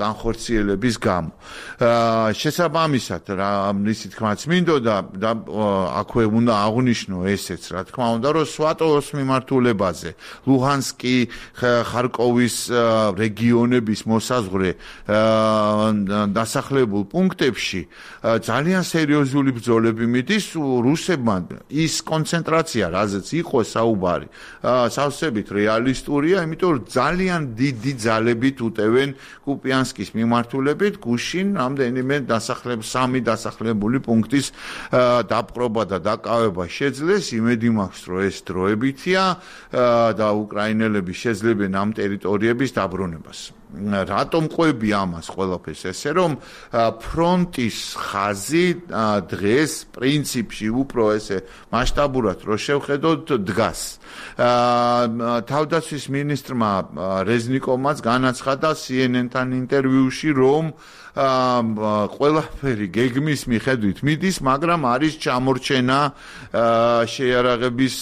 Speaker 2: განხორციელების გამო. შესაბამისად, რა მისი თქმაც მინდოდა და აქვე უნდა აღვნიშნო ესეც, რა თქმა უნდა, რომ სვატოვის მიმართულება ლუჰანსკი, ხარკოვის რეგიონების მოსაზღვრე დასახლებულ პუნქტებში ძალიან სერიოზული ბრძოლები მიდის რუსებმა. ის კონცენტრაცია, რაზეც იყო საუბარი, სავსებით რეალისტურია, იმიტომ რომ ძალიან დიდი ძალებით უტევენ კუპიანსკის მიმართულებით გუშინ რამდენიმე დასახლებული სამი დასახლებული პუნქტის დაპყრობა და დაკავება შეძლეს. იმედი მაქვს, რომ ეს დროებითია და უკრაინელები შეძლებენ ამ ტერიტორიების დაბრუნებას. რატომ ყვები ამას ყველაფერს ესე რომ ფრონტის ხაზი დღეს პრინციპში უფრო ესე მასშტაბურად რო შევხედოთ დგას. თავდაცვის მინისტრმა რეზნიკოვმაც განაცხადა C N N-თან ინტერვიუში რომ ყველაფერი გეგმის მიხედვით მიდის, მაგრამ არის ჩამორჩენა შეიარაღების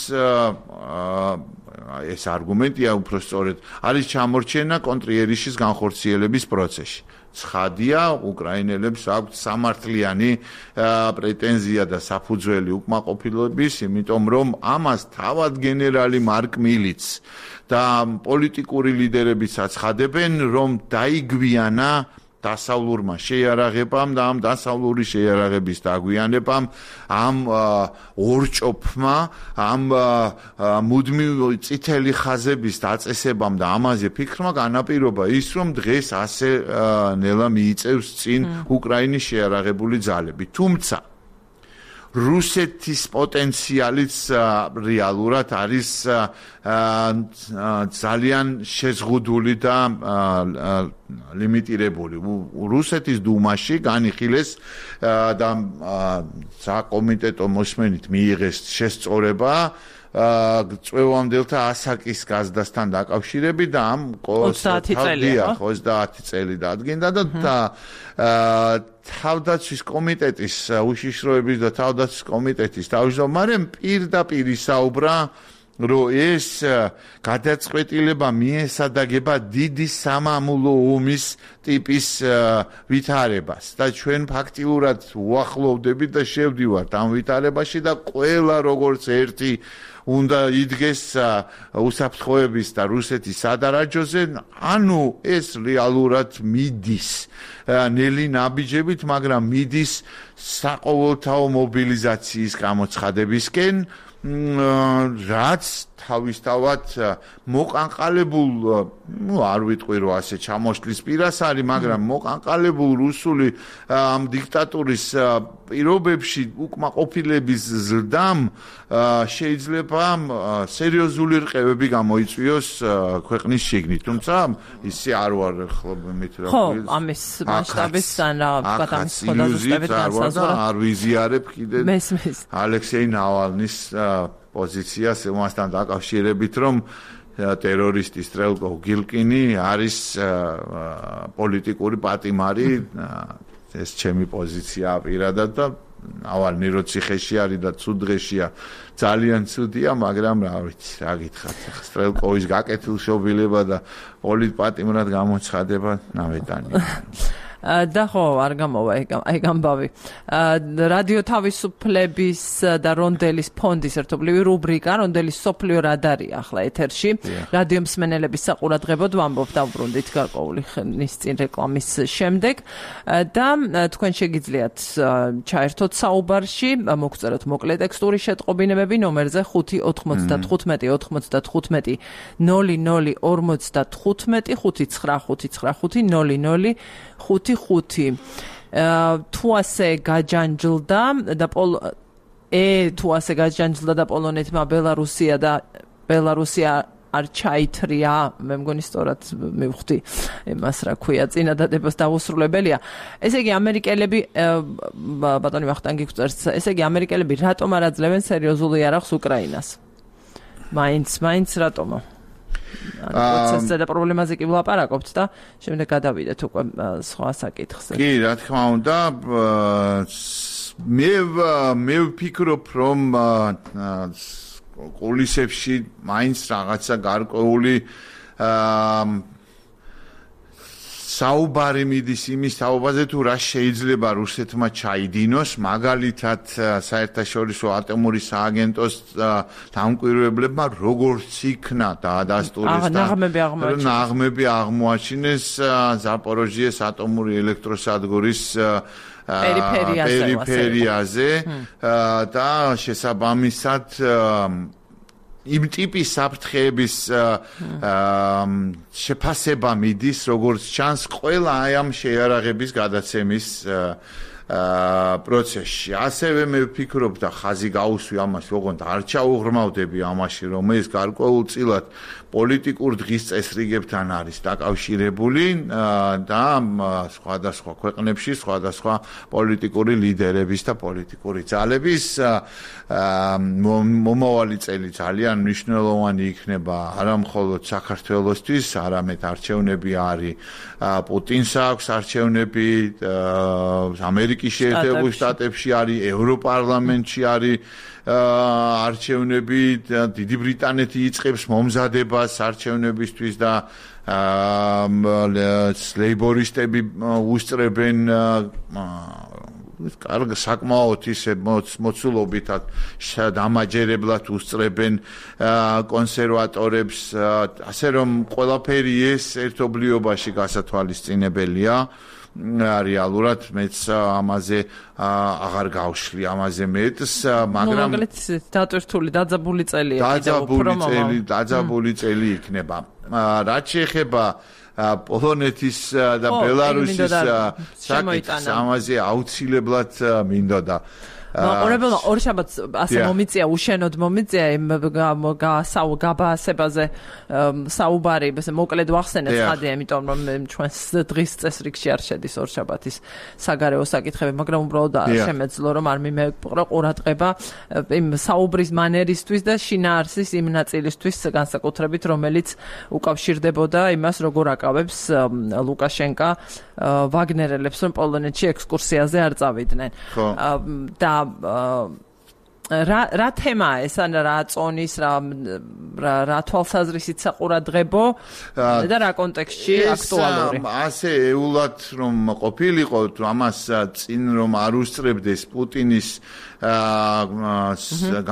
Speaker 2: ეს არგუმენტია უფრო სწორედ არის ჩამორჩენა კონტრიერიშის განხორციელების პროცესში. ცხადია, უკრაინელებს აქვთ სამართლიანი პრეტენზია და საფუძველი უკმაყოფილების, იმიტომ რომ ამას თავად გენერალი მარკ მილიც და პოლიტიკური ლიდერებიც აცხადებენ, რომ დაიგვიანა დასავლურმა შეიარაღებამ და ამ დასავლური შეიარაღების დაგვიანებამ ამ ორჭოფმა ამ მუდმივ წითელი ხაზების დაწესებამ და ამაზე ფიქრმა განაპირობა ის რომ დღეს ასე ნელა მიიწევს წინ უკრაინის შეიარაღებული ძალები. თუმცა რუსეთის პოტენციალიც რეალურად არის ძალიან შეზღუდული და ლიმიტირებული. რუსეთის დუმაში განიხილეს და საკომიტეტო მოსმენით მიიღეს შესწორება წვევამდელთა ასაკის გაზრდასთან დაკავშირებით და ამ
Speaker 1: ოცდაათი წელია
Speaker 2: ოცდაათი წელი დადგინდა და თავდაცვის კომიტეტის უშიშროების და თავდაცვის კომიტეტის თავმჯდომარემ პირდაპირ ისაუბრა რომ ეს გადაწყვეტილება მიესადაგება დიდი სამამულო ომის ტიპის ვითარებას და ჩვენ ფაქტიურად უახლოვდებით და შევდივართ ამ ვითარებაში და ყველა როგორც ერთი უნდა იდგეს უსაფრთხოების და რუსეთის სადარაჯოზე, ანუ ეს რეალურად მიდის ნელი ნაბიჯებით, მაგრამ მიდის საყოველთაო მობილიზაციის გამოცხადებისკენ, რაც თავისთავად მოყანყალებულ, ну, არ ვიტყვი რომ ასე ჩამოშლის პირას არის, მაგრამ მოყანყალებულ რუსული ამ დიქტატურის პირობებში უკმაყოფილების ზრდამ შეიძლება სერიოზული რყევები გამოიწვიოს ქვეყნის შიგნით. თუმცა ისე არ ვარ ხლობებით რა.
Speaker 1: ხო, ამის მასშტაბისგან რაღაცა ამის ხოდაზუსტებით განსაზღვრა.
Speaker 2: არ ვიზიარებ კიდე
Speaker 1: მესმის
Speaker 2: ალექსეი ნავალნის პოზიციას მასთან დაკავშირებით, რომ ტერორისტი სტრელკო გილკინი არის პოლიტიკური პატიმარი, ეს ჩემი პოზიცია პირადად და ნავალნი რო ციხეში არის და ცუდ დღეშია, ძალიან ცუდია, მაგრამ რა ვიცი, რა გითხრათ, სტრელკოვის გაკეთილშობილება და პოლიტპატიმრად გამოცხადება ნავეტანი.
Speaker 1: და ხო არ გამოვა ეგ ამბავი. რადიო თავისუფლების და რონდელის ფონდის ერთობლივი რუბრიკა რონდელის სოფლიო რადარია ახლა ეთერში. რადიო მსმენელების საყურადღებოდ ვამბობ დავბრუნდით გარკვეული ხნის წინ რეკლამის შემდეგ და თქვენ შეგიძლიათ ჩაერთოთ საუბარში, მოგწეროთ მოკლე ტექსტური შეტყობინებები ნომერზე ხუთი ოთხმოცდათხუთმეტი ოთხმოცდათხუთმეტი ნული ნული ორმოცდათხუთმეტი ხუთი ცხრა ხუთი ცხრა ხუთი ნული ნული ხუთი ხუთი. თუ ასე გაჯანჯლდა და პოლ ე თუ ასე გაჯანჯლდა და პოლონეთმა ბელარუსია და ბელარუსია არ ჩაითრია, მე მგონი სწორად მივხვდი იმას რა ქვია წინადადებას დაუსრულებელია. ესე იგი ამერიკელები ბატონი ვახტანგი გვწერს, ესე იგი ამერიკელები რატომ არ აძლევენ სერიოზულ იარაღს უკრაინას? მაინც, მაინც რატომო? პროცესზე და პრობლემაზე კი ვლაპარაკობთ და შემდეგ გადავიდეთ უკვე სხვა საკითხზე.
Speaker 2: კი, რა თქმა უნდა, მე მე ვფიქრობ, რომ კულისებში მაინც რაღაცა გარკვეული საუბარი მიდის იმის თაობაზე თუ რა შეიძლება რუსეთმა ჩაიდინოს, მაგალითად საერთაშორისო ატომური სააგენტოს დამკვირვებლებმა როგორც იქნა დაადასტურეს და ნაღმები აღმოაჩინეს ზაპოროჟიეს ატომური ელექტროსადგურის პერიფერიაზე და შესაბამისად იმ ტიპის საფრთხეების შეფასება მიდის, როგორც ჩანს, ყველა აი ამ შეიარაღების გადაცემის პროცესში. ასევე მე ვფიქრობ და ხაზი გავუსვი ამას, ოღონდ არ ჩაუღრმავდები ამაში, რომ ეს გარკვეულწილად პოლიტიკურ დღის წესრიგებთან არის დაკავშირებული და სხვადასხვა ქვეყნებში სხვადასხვა პოლიტიკური ლიდერების და პოლიტიკური ძალების მომავალი წელი ძალიან მნიშვნელოვანი იქნება არა მხოლოდ საქართველოსთვის, არამედ არჩევნები არის პუტინს აქვს არჩევნები, ამერიკის შეერთებულ შტატებში არის, ევროპარლამენტში არის არჩევნები, დიდი ბრიტანეთი იწყებს მომზადებას არჩევნებისთვის და ლეიბორისტები უსწრებენ კარგ საკმაოდ ისე მოცულობითად დამაჯერებლად უსწრებენ კონსერვატორებს, ასე რომ ყველაფერი ეს ერთობლიობაში გასათვალისწინებელია. რეალურად მეც ამაზე აღარ გავშლი ამაზე მეტს, მაგრამ
Speaker 1: დატვირთული დაძაბული წელია,
Speaker 2: დაძაბული წელი, დაძაბული წელი იქნება. რაც შეეხება პოლონეთის და ბელარუსის საკითხს, ამაზე აუცილებლად მინდოდა
Speaker 1: მაყურებელმა ორ შაბათს ასე მომიწია, უშენოდ მომიწია იმ გაბაასებაზე საუბარი, ესე მოკლედ ვახსენეთ ხადია, იმიტომ რომ ჩვენს დღის წესრიგში არ შედის ორ შაბათის საგარეო საკითხები, მაგრამ უბრალოდ შემეძლო რომ არ მიმეყრა ყურადღება იმ საუბრის მანერისთვის და შინაარსის იმ ნაწილისთვის განსაკუთრებით, რომელიც უკავშირდებოდა იმას, როგორ აკავებს ლუკაშენკა ვაგნერელებს, რომ პოლონეთში ექსკურსიაზე არ წავიდნენ. და რა რა თემაა ეს, ან რა წონის, რა რა თვალსაზრისით საყურადღებო და რა კონტექსტში აქტუალური?
Speaker 2: ასე ეულად რომ ყოფილიყო, ამას წინ რომ არ უსწრებდეს პუტინის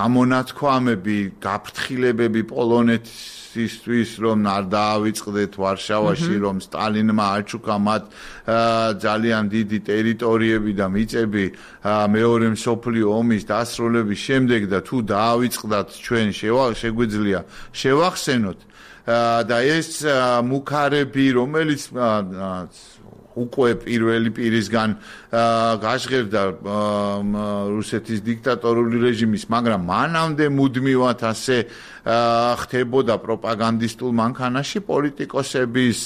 Speaker 2: გამონათქვამები, გაფრთხილებები პოლონეთისთვის, რომ არ დაავიწყდეთ ვარშავაში, რომ სტალინმა აჩუქა მათ ძალიან დიდი ტერიტორიები და მიწები მეორე მსოფლიო ომის დასრულების შემდეგ და თუ დაავიწყდათ ჩვენ შეგვიძლია შევახსენოთ და ეს მუქარები, რომელიც უკვე პირველი პირისგან გაჟღერდა რუსეთის დიქტატორული რეჟიმის, მაგრამ მანამდე მუდმივად ასე ხდებოდა პროპაგანდისტულ მანქანაში პოლიტიკოსების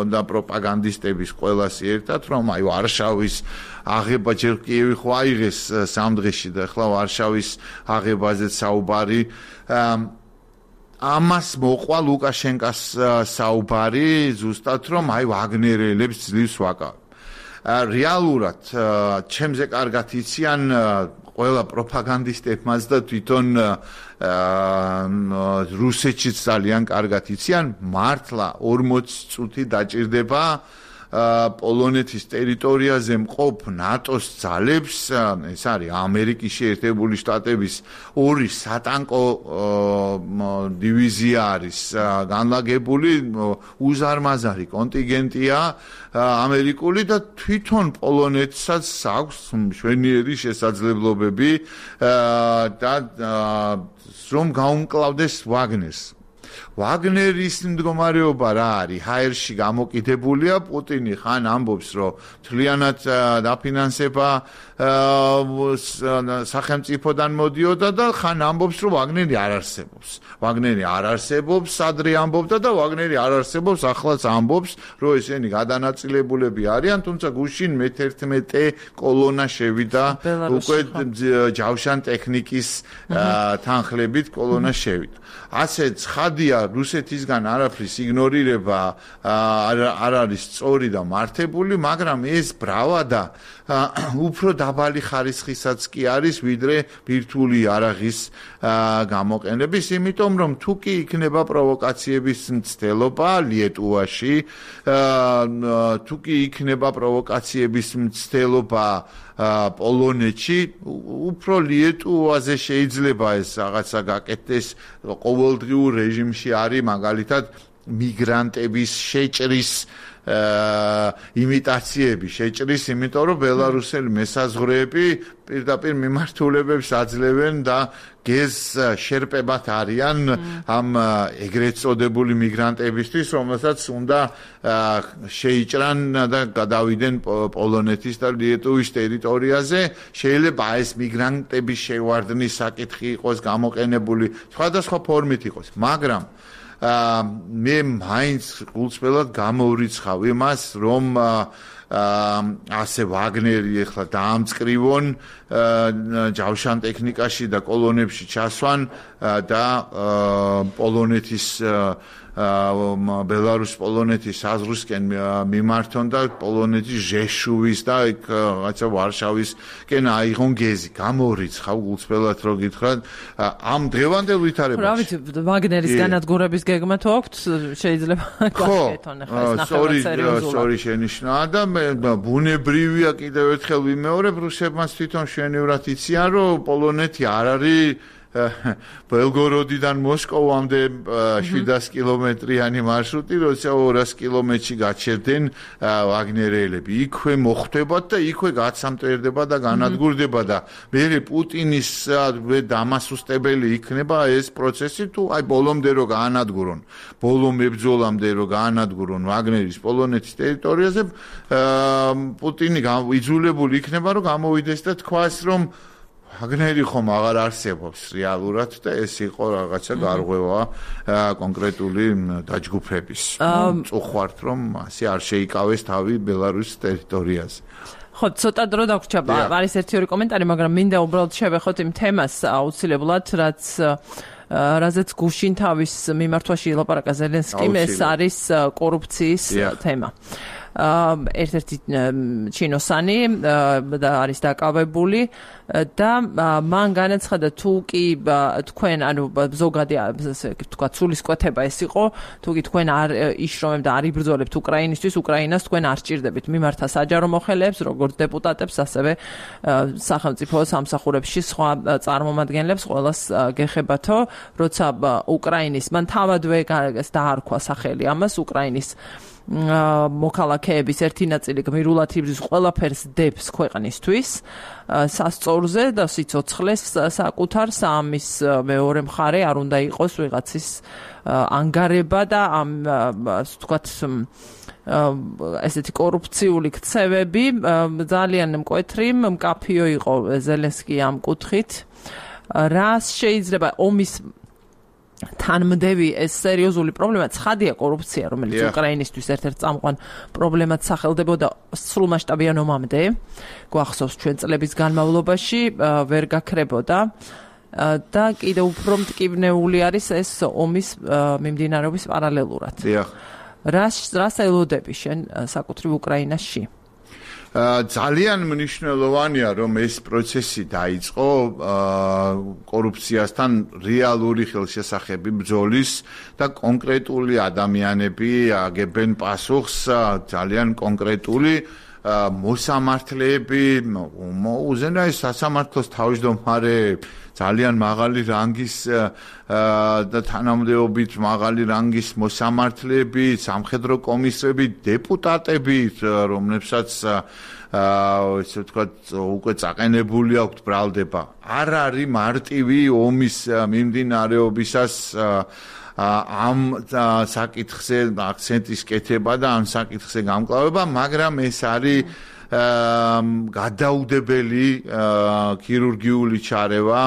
Speaker 2: და პროპაგანდისტების ყველას ერთად, რომ აი ვარშავის აღება ჯერ კიევი ხო აიღეს სამ დღეში და ახლა ვარშავის აღებაზეც საუბარი. ამას მოყვა ლუკაშენკას საუბარი ზუსტად, რომ აი ვაგნერელებს ძლივს ვაკავ. რეალურად ჩემზე კარგად იციან ყველა პროპაგანდისტებმაც და თვითონ რუსეთშიც ძალიან კარგად იციან, მართლა ორმოცი წუთი დაჭირდება პოლონეთის ტერიტორიაზე მყოფ ნატოს ძალებს, ეს არის ამერიკის შეერთებული შტატების ორი სატანკო დივიზია არის განლაგებული, უზარმაზარი კონტინგენტია ამერიკული და თვითონ პოლონეთსაც აქვს მშვენიერი შესაძლებლობები და რომ გაუმკლავდეს ვაგნერს. ვაგნერის მდგომარეობა რა არის? ჰაერში გამოკიდებულია, პუტინი ხან ამბობს, რომ თლიანად დაფინანსება სახელმწიფოდან მოდიოდა და ხან ამბობს, რომ ვაგნერი არ არსებობს. ვაგნერი არ არსებობს, ადრე ამბობდა და ვაგნერი არ არსებობს, ახლაც ამბობს, რომ ესენი გადანაწილებულები არიან, თუმცა გუშინ მეთერთმეტე კოლონა შევიდა, უკვე ჯავშან ტექნიკის თანხლებით კოლონა შევიდა. ასე ცხადია, რუსეთისგან არაფრის იგნორირება არ არის სწორი და მართებული, მაგრამ ეს ბრავადა უფრო დაბალი ხარისხისაც კი არის, ვიდრე ბირთვული იარაღის გამოყენების, იმიტომ რომ თუ კი იქნება პროვოკაციების მცდელობა ლიეტუვაში, თუ კი იქნება პროვოკაციების მცდელობა პოლონეთში, უფრო ლიეტუვაზე შეიძლება ეს რაღაცა გაკეთდეს. ყოველდღიურ რეჟიმში არის მაგალითად მიგრანტების შეჭრის იმიტაციები, შეჭრის, იმიტომ რომ ბელარუსელი მესაზღვრეები პირდაპირ მიმართულებებს აძლევენ და გეზ შერპებად არიან ამ ეგრეთ წოდებული მიგრანტებისთვის, რომელსაც უნდა შეიჭრან და გადავიდნენ პოლონეთის და ლიეტუვის ტერიტორიაზე. შეიძლება ეს მიგრანტების შევარდნის საკითხი იყოს გამოყენებული, სხვადასხვა ფორმით იყოს, მაგრამ მე მაინც გულწრფელად გამოვრიცხავ იმას, რომ ასე ვაგნერი ახლა დაამწკრივონ ჯავშან ტექნიკაში და კოლონებში ჩასვან და პოლონეთის ბელარუს პოლონეთის საზღვრისკენ მიმართონ და პოლონეთის ჟეშუვის და იქ რაღაცა ვარშავისკენ აიღონ გეზი. გამოვრიცხავ გულწრფელად რო გითხრათ, ამ დღევანდელ ვითარებაში.
Speaker 1: რა ვიცი, ვაგნერის განადგურების გეგმა თუ აქვთ, შეიძლება გაკეთონ ახლა ეს ნახევარ სერიოზულად.
Speaker 2: სორი შენიშნა და ბუნებრივია კიდევ ერთხელ ვიმეორებ, რუსებმაც თვითონ შვენივრად იციან, რომ პოლონეთი არ არის ბელგოროდიდან მოსკოვამდე შვიდას კილომეტრიანი მარშრუტი, როცა ორას კილომეტრში გაჩერდნენ ვაგნერელები. იქვე მოხვდებათ და იქვე გაცამტერდება და განადგურდება და მერე პუტინის დამასუსტებელი იქნება ეს პროცესი, თუ აი ბოლომდე რო გაანადგურონ, ბოლო მებრძოლამდე რო გაანადგურონ ვაგნერის პოლონეთის ტერიტორიაზე, პუტინი იძულებული იქნება, რომ გამოვიდეს და თქვას, რომ ვაგნერი ხომ აღარ არსებობს რეალურად და ეს იყო რაღაცა გარღვევა კონკრეტული დაჯგუფების. წუხვართ, რომ ასე არ შეიკავეს თავი ბელარუსის ტერიტორიაზე.
Speaker 1: ხო, ცოტა დრო დაგვრჩა, არის ერთი ორი კომენტარი, მაგრამ მინდა უბრალოდ შევეხოთ იმ თემას აუცილებლად, რაც რაზეც გუშინ თავის მიმართვაში ილაპარაკა ზელენსკიმ, ეს არის კორუფციის თემა. ერთ-ერთი ჩინოსანი და არის დაკავებული და მან განაცხადა, თუ კი თქვენ ანუ ზოგადი ასე ვთქვათ სულისკვეთება ეს იყო, თუ კი თქვენ არ იშრომებთ და არ იბრძოლებთ უკრაინისთვის, უკრაინას თქვენ არ სჭირდებით მიმართა საჯარო მოხელეებს, როგორც დეპუტატებს, ასევე სახელმწიფო სამსახურებში სხვა წარმომადგენლებს, ყველას გეხებათო, როცა უკრაინის მან თავადვე დაარქვა სახელი ამას, უკრაინის მოქალაქეების ერთი ნაწილი გმირულად იბრძვის, ყველაფერს დებს ქვეყნისთვის სასწორზე და სიცოცხლეს საკუთარს, ამის მეორე მხარე არ უნდა იყოს ვიღაცის ანგარება და ამ ვთქვათ ესეთი კორუფციული ქცევები. ძალიან მკვეთრი, მკაფიო იყო ზელენსკი ამ კუთხით. რას შეიძლება ომის თანმდევი ეს სერიოზული პრობლემა, ცხადია კორუფცია, რომელიც უკრაინისთვის ერთ-ერთ წამყვან პრობლემად სახელდებოდა სრულმასშტაბიან ომამდე, გვახსოვს ჩვენ წლების განმავლობაში ვერ გაქრებოდა და კიდევ უფრო მტკივნეული არის ეს ომის მიმდინარეობის პარალელურად. რას რას ელოდები შენ საკუთრივ უკრაინაში?
Speaker 2: ძალიან მნიშვნელოვანია, რომ ეს პროცესი დაიწყო კორუფციასთან რეალური ხელშესახები ბრძოლის და კონკრეტული ადამიანები აგებენ პასუხს, ძალიან კონკრეტული მოსამართლეები, უზენაეს სასამართლოს თავმჯდომარე, ძალიან მაღალი რანგის და თანამდებობით მაღალი რანგის მოსამართლეები, სამხედრო კომისრები, დეპუტატები, რომლებსაც ესე ვთქვათ, უკვე წაყენებული აქვთ ბრალდება. არ არის მარტივი ომის მიმდინარეობისას ამ საკითხზე აქცენტის კეთება და ამ საკითხზე გამკლავება, მაგრამ ეს არის გადაუდებელი ქირურგიული ჩარევა,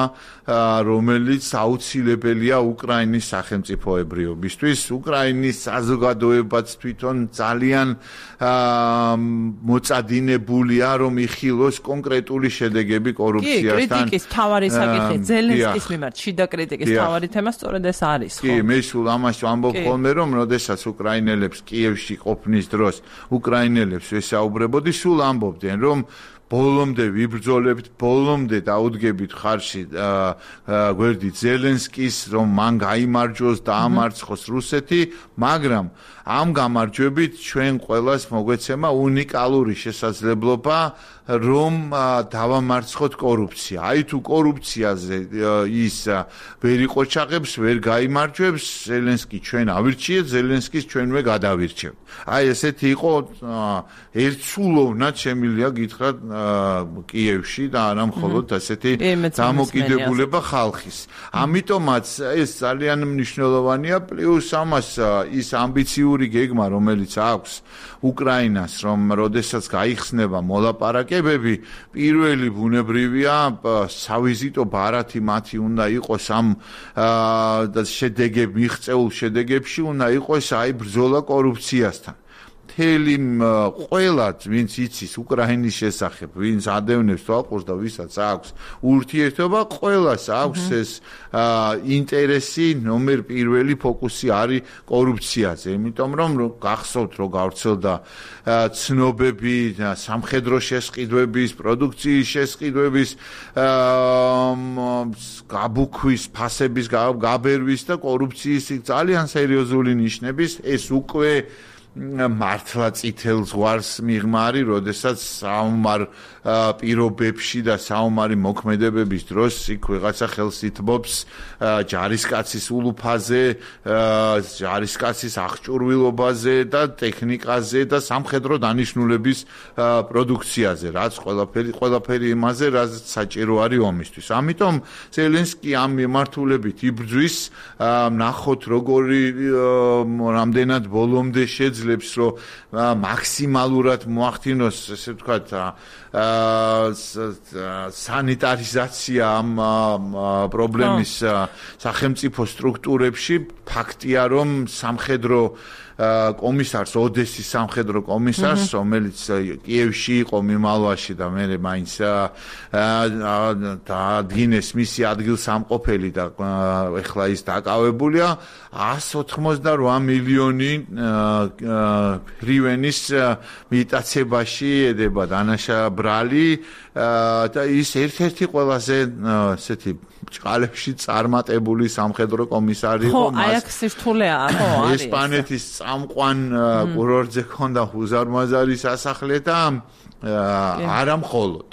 Speaker 2: რომელიც აუცილებელია უკრაინის სახელმწიფოებრიობისთვის. უკრაინის საზოგადოებაც თვითონ ძალიან მოწადინებულია, რომ იხილოს კონკრეტული შედეგები კორუფციასთან.
Speaker 1: კი, კრიტიკის თავარი საკითხი ზელენსკის მიმართ, შიდა კრიტიკის თავარი თემა სწორედ ეს არის, ხო?
Speaker 2: კი, მე სულ ამას ვამბობ ხოლმე, რომ როდესაც უკრაინელებს კიევში ყოფნის დროს უკრაინელებს ვესაუბრებოდი, სულ ამბობდნენ, რომ ბოლომდე ვიბრძოლებთ, ბოლომდე დაუდგებით ხარში გვერდით ზელენსკის, რომ მან გაიმარჯვოს და ამარცხოს რუსეთი, მაგრამ ამ გამარჯვებით ჩვენ ყველას მოგვეცემა უნიკალური შესაძლებლობა, რომ დავამარცხოთ კორუფცია. აი თუ კორუფციაზე ის ვერ იყოჩაღებს, ვერ გაიმარჯვებს, ზელენსკი ჩვენ ავირჩიეთ, ზელენსკის ჩვენვე გადავირჩევთ. აი ესეთი იყო ერთსულოვნად შემილია გითხრათ კიევში და არა მხოლოდ ასეთი დამოკიდებულება ხალხის. ამიტომაც ეს ძალიან მნიშვნელოვანია, პლუს ამას ის ამბიციური გეგმა, რომელიც აქვს უკრაინას, რომ როდესაც გაიხსნება მოლაპარაკებები, პირველი ბუნებრივია სავიზიტო ბარათი მათი უნდა იყოს ამ შედეგებ მიღწეულ შედეგებში, უნდა იყოს აი ბრძოლა კორუფციასთან. მთელი ყველა ვინც იცის უკრაინის შესახებ, ვინც ადევნებს თვალყურს და ვისაც აქვს ურთიერთობა, ყველას აქვს ეს ინტერესი, ნომერ პირველი ფოკუსი არის კორუფციაზე. იმიტომ რომ გახსოვთ, რომ გავრცელდა ცნობები სამხედრო შესყიდვების, პროდუქციის შესყიდვების, გაბუქვის, ფასების გაბერვის და კორუფციის ძალიან სერიოზული ნიშნების, ეს უკვე მართლა წითელ ზღვარს მიღმარი, როდესაც საომარ პირობებში და საომარი მოქმედებების დროს იქ ვიღაცა ხელს ითმობს ჯარისკაცის ულუფაზე, ჯარისკაცის აღჭურვილობაზე და ტექნიკაზე და სამხედრო დანიშნულების პროდუქციაზე, რაც ყველაფერი ყველაფერი იმაზე, რაც საჭირო არის ომისთვის. ამიტომ ზელენსკი ამ მიმართულებით იბრძვის, ნახოთ როგორი რამდენად ბოლომდე შეძლებს რომ მაქსიმალურად მოახდინოს, ესე ვთქვათ, სანიტარიზაცია ამ პრობლემის სახელმწიფო სტრუქტურებში. ფაქტია, რომ სამხედრო კომისარს, ოდესის სამხედრო კომისარს, რომელიც კიევში იყო მიმალვაში და მე მაინც დაადგინეს მისი ადგილსამყოფელი და ეხლა ის დაკავებულია, εκατს ოცდაოთხმოცდაორმა მილიონი ჰრივენის მიტაცებაში ედება დანაშა ბრალი და ის ერთ-ერთი ყველაზე ესეთი ჭყალებში წარმატებული სამხედრო კომისარი იყო.
Speaker 1: ხო, აი აქ სირთულეა, ხო, არის.
Speaker 2: ესპანეთის წამყვან კურორტზე ქონდა უზარმაზარი სასახლე და არა მხოლოდ.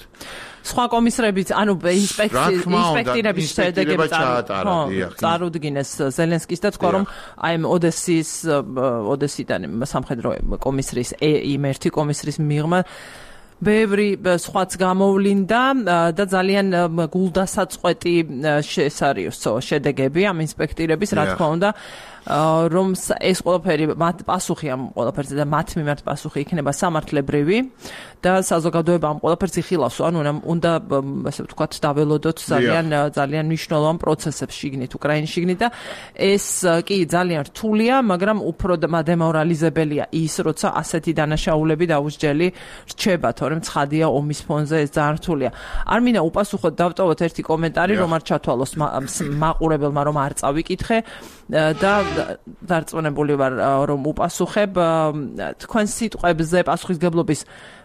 Speaker 1: სხვა კომისრებიც, ანუ ინსპექტირების შედეგები წარუდგინეს ზელენსკის და თქვა, რომ აი ოდესის ოდესიდან სამხედრო კომისრის იმ ერთი კომისრის მიღმა ბევრი სხვაც გამოვლინდა და ძალიან გულდასაწყვეტი ეს არის შედეგები ამ ინსპექტირების, რა თქმა უნდა, რომ ეს ყველაფერი მათ პასუხი ამ ყველაფერზე და მათ მიმართ პასუხი იქნება სამართლებრივი და საზოგადოება ამ ყველაფერს იხილავს, ანუ უნდა ასე ვთქვათ დაველოდოთ ძალიან ძალიან მნიშვნელოვან პროცესებს შიგნით უკრაინის შიგნით და ეს კი ძალიან რთულია, მაგრამ უფრო დემორალიზებელია ის, როცა ასეთი დანაშაულები დაუსჯელი რჩება, თორემ ცხადია ომის ფონზე ეს ძალიან რთულია. არ მინდა უპასუხოდ დავტოვოთ ერთი კომენტარი, რომ არ ჩათვალოს მაყურებელმა, რომ არ წავიკითხე და დარწმუნებული ვარ, რომ უპასუხებ თქვენ სიტყვებზე პასუხისგებლობის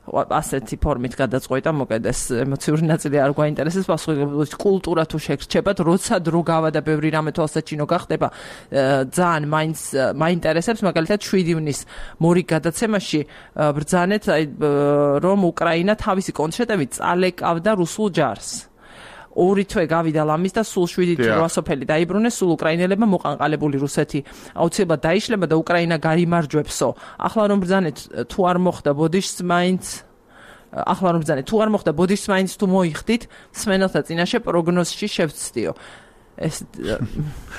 Speaker 1: ასეთი ფორმით გადაწყვეტა, მოკედ ეს ემოციური ნაწილი არ გვაინტერესებს, პასუხისგებლობის კულტურა თუ შეგრჩებათ, როცა დრო გავა და ბევრი რამე თვალსაჩინო გახდება, ძალიან მაინც მაინტერესებს, მაგალითად შვიდი ივნის მორიგ გადაცემაში ბრძანეთ, რომ უკრაინა თავისი კონცერტებით წალეკავდა რუსულ ჯარს. ორი თვე გავიდა ლამის და სულ შვიდი რვა სოფელი დაიბრუნეს, სულ უკრაინელებმა მოყანყალებული რუსეთი აუცილებლად დაიშლება და უკრაინა გაიმარჯვებსო. ახლა რომ ბრძანეთ, თუ არ მოხდა ბოდიშს მაინც ახლა რომ ბრძანეთ, თუ არ მოხდა ბოდიშს მაინც თუ მოიხდით, სმენელთა წინაშე პროგნოზში შევცდიო. ეს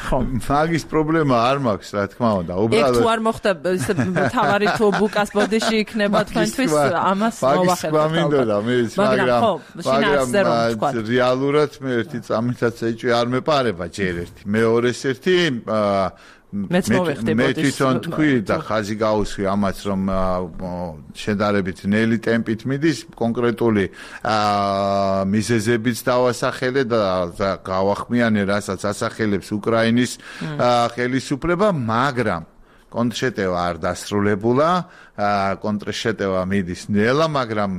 Speaker 1: ხო
Speaker 2: მაგის პრობლემა არ მაქვს რა თქმა უნდა
Speaker 1: უბრალოდ თუ არ მოხდა ისე თავარი თუ ბუკას ბოდიში იქნება თქვენთვის ამას მოვახერხებთ
Speaker 2: მინდოდა მე მაგრამ მაგრამ რეალურად მე ერთი წამითაც ეჭვი არ მეპარება ჯერ ერთი მეორეს ერთი
Speaker 1: მეც მოვეხდი
Speaker 2: მე თვითონ თქვი და ხაზი გაუსვი ამას რომ შედარებით ნელი ტემპით მიდის კონკრეტული მიზეზებიც დავასახელე და გავახმიანე რასაც ასახელებს უკრაინის ხელისუფლება მაგრამ კონტრშეტევა არ დასრულებულა კონტრშეტევა მიდის ნელა მაგრამ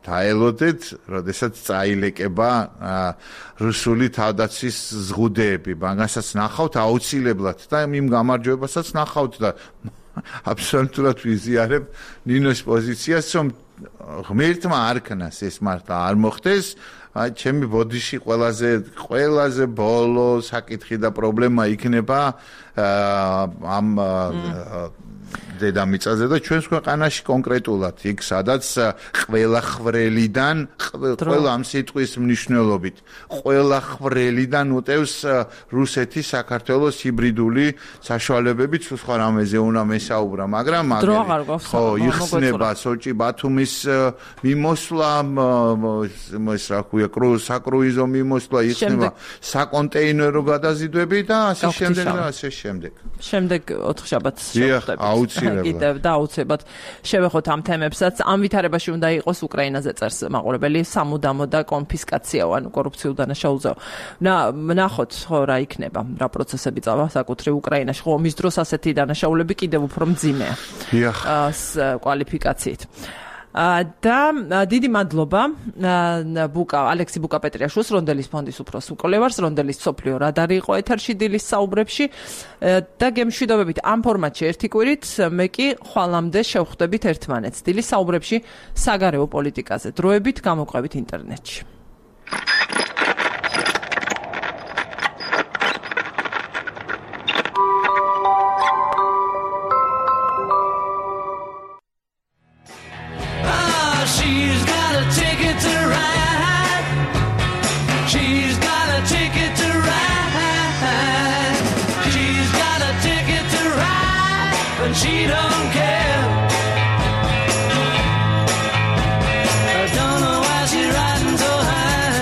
Speaker 2: დაელოდეთ როდესაც წაილეკება რუსული თავდაცვის ზღუდეები მაგასაც ნახავთ აუცილებლად და იმ გამარჯვებასაც ნახავთ და აბსოლუტურად ვიზიარებ ნინოს პოზიციას რომ ღმერთმა არქნას ეს მართლა არ მოხდეს აი ჩემი ბოდიში ყველაზე ყველაზე ბოლო საკითხი და პრობლემა იქნება ამ დედამიწაზე და ჩვენს ქვეყანაში კონკრეტულად იქ სადაც ყველა ხრელიდან ყველა ამ სიტყვის მნიშვნელობით ყველა ხრელიდან უტევს რუსეთი საქართველოს ჰიბრიდული საშუალებებით სხვა რამეზე უნდა მესაუბრა მაგრამ
Speaker 1: ხო
Speaker 2: იხსნება სოჭი ბათუმის მიმოსვლა ეს რა ქვია საკრუიზო მიმოსვლა იხსნება საკონტეინერო გადაზიდვები და ასე შემდეგ და ასე შემდეგ
Speaker 1: შემდეგ ოთხშაბათს შევხვდებით კიდევ და აუცილებლად შევეხოთ ამ თემებსაც. ამ ვითარებაში უნდა იყოს უკრაინაზე წერს მაყურებელი სამუდამო და კონფისკაციაო, ანუ კორუფციულ დანაშაულზეო. ნახოთ ხო რა იქნება, რა პროცესები წავა საკუთრივ უკრაინაში. ხო ომის დროს ასეთი დანაშაულები კიდევ უფრო მძიმეა.
Speaker 2: დიახ.
Speaker 1: კვალიფიკაციით. და დიდი მადლობა ბუკა ალექსი ბუკა-პეტრიაშვილს რონდელის ფონდის უფროს უკოლევარს რონდელის სოფლიო რადარი იყო ეთერში დილის საუბრებში და გემშვიდობებით ამ ფორმატში ერთი კვირით მე კი ხვალამდე შევხვდებით ერთმანეთს დილის საუბრებში საგარეო პოლიტიკაზე დროებით გამოყვებით ინტერნეტში
Speaker 3: She don't care. I don't know why she's riding so high.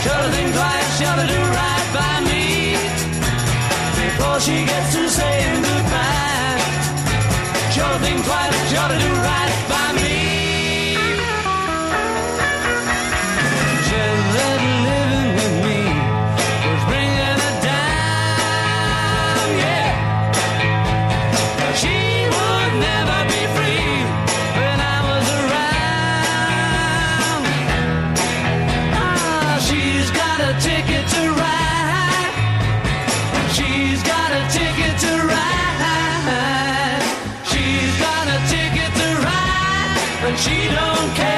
Speaker 3: Should have think twice, should have do right by me before she gets to saying goodbye. Should have think twice, should have do right by me. Just that living with me was bringing her down, yeah. She would never be free when I was around. Ah, she's got a ticket to ride. She's got a ticket to ride. She's got a ticket to ride, but she don't care.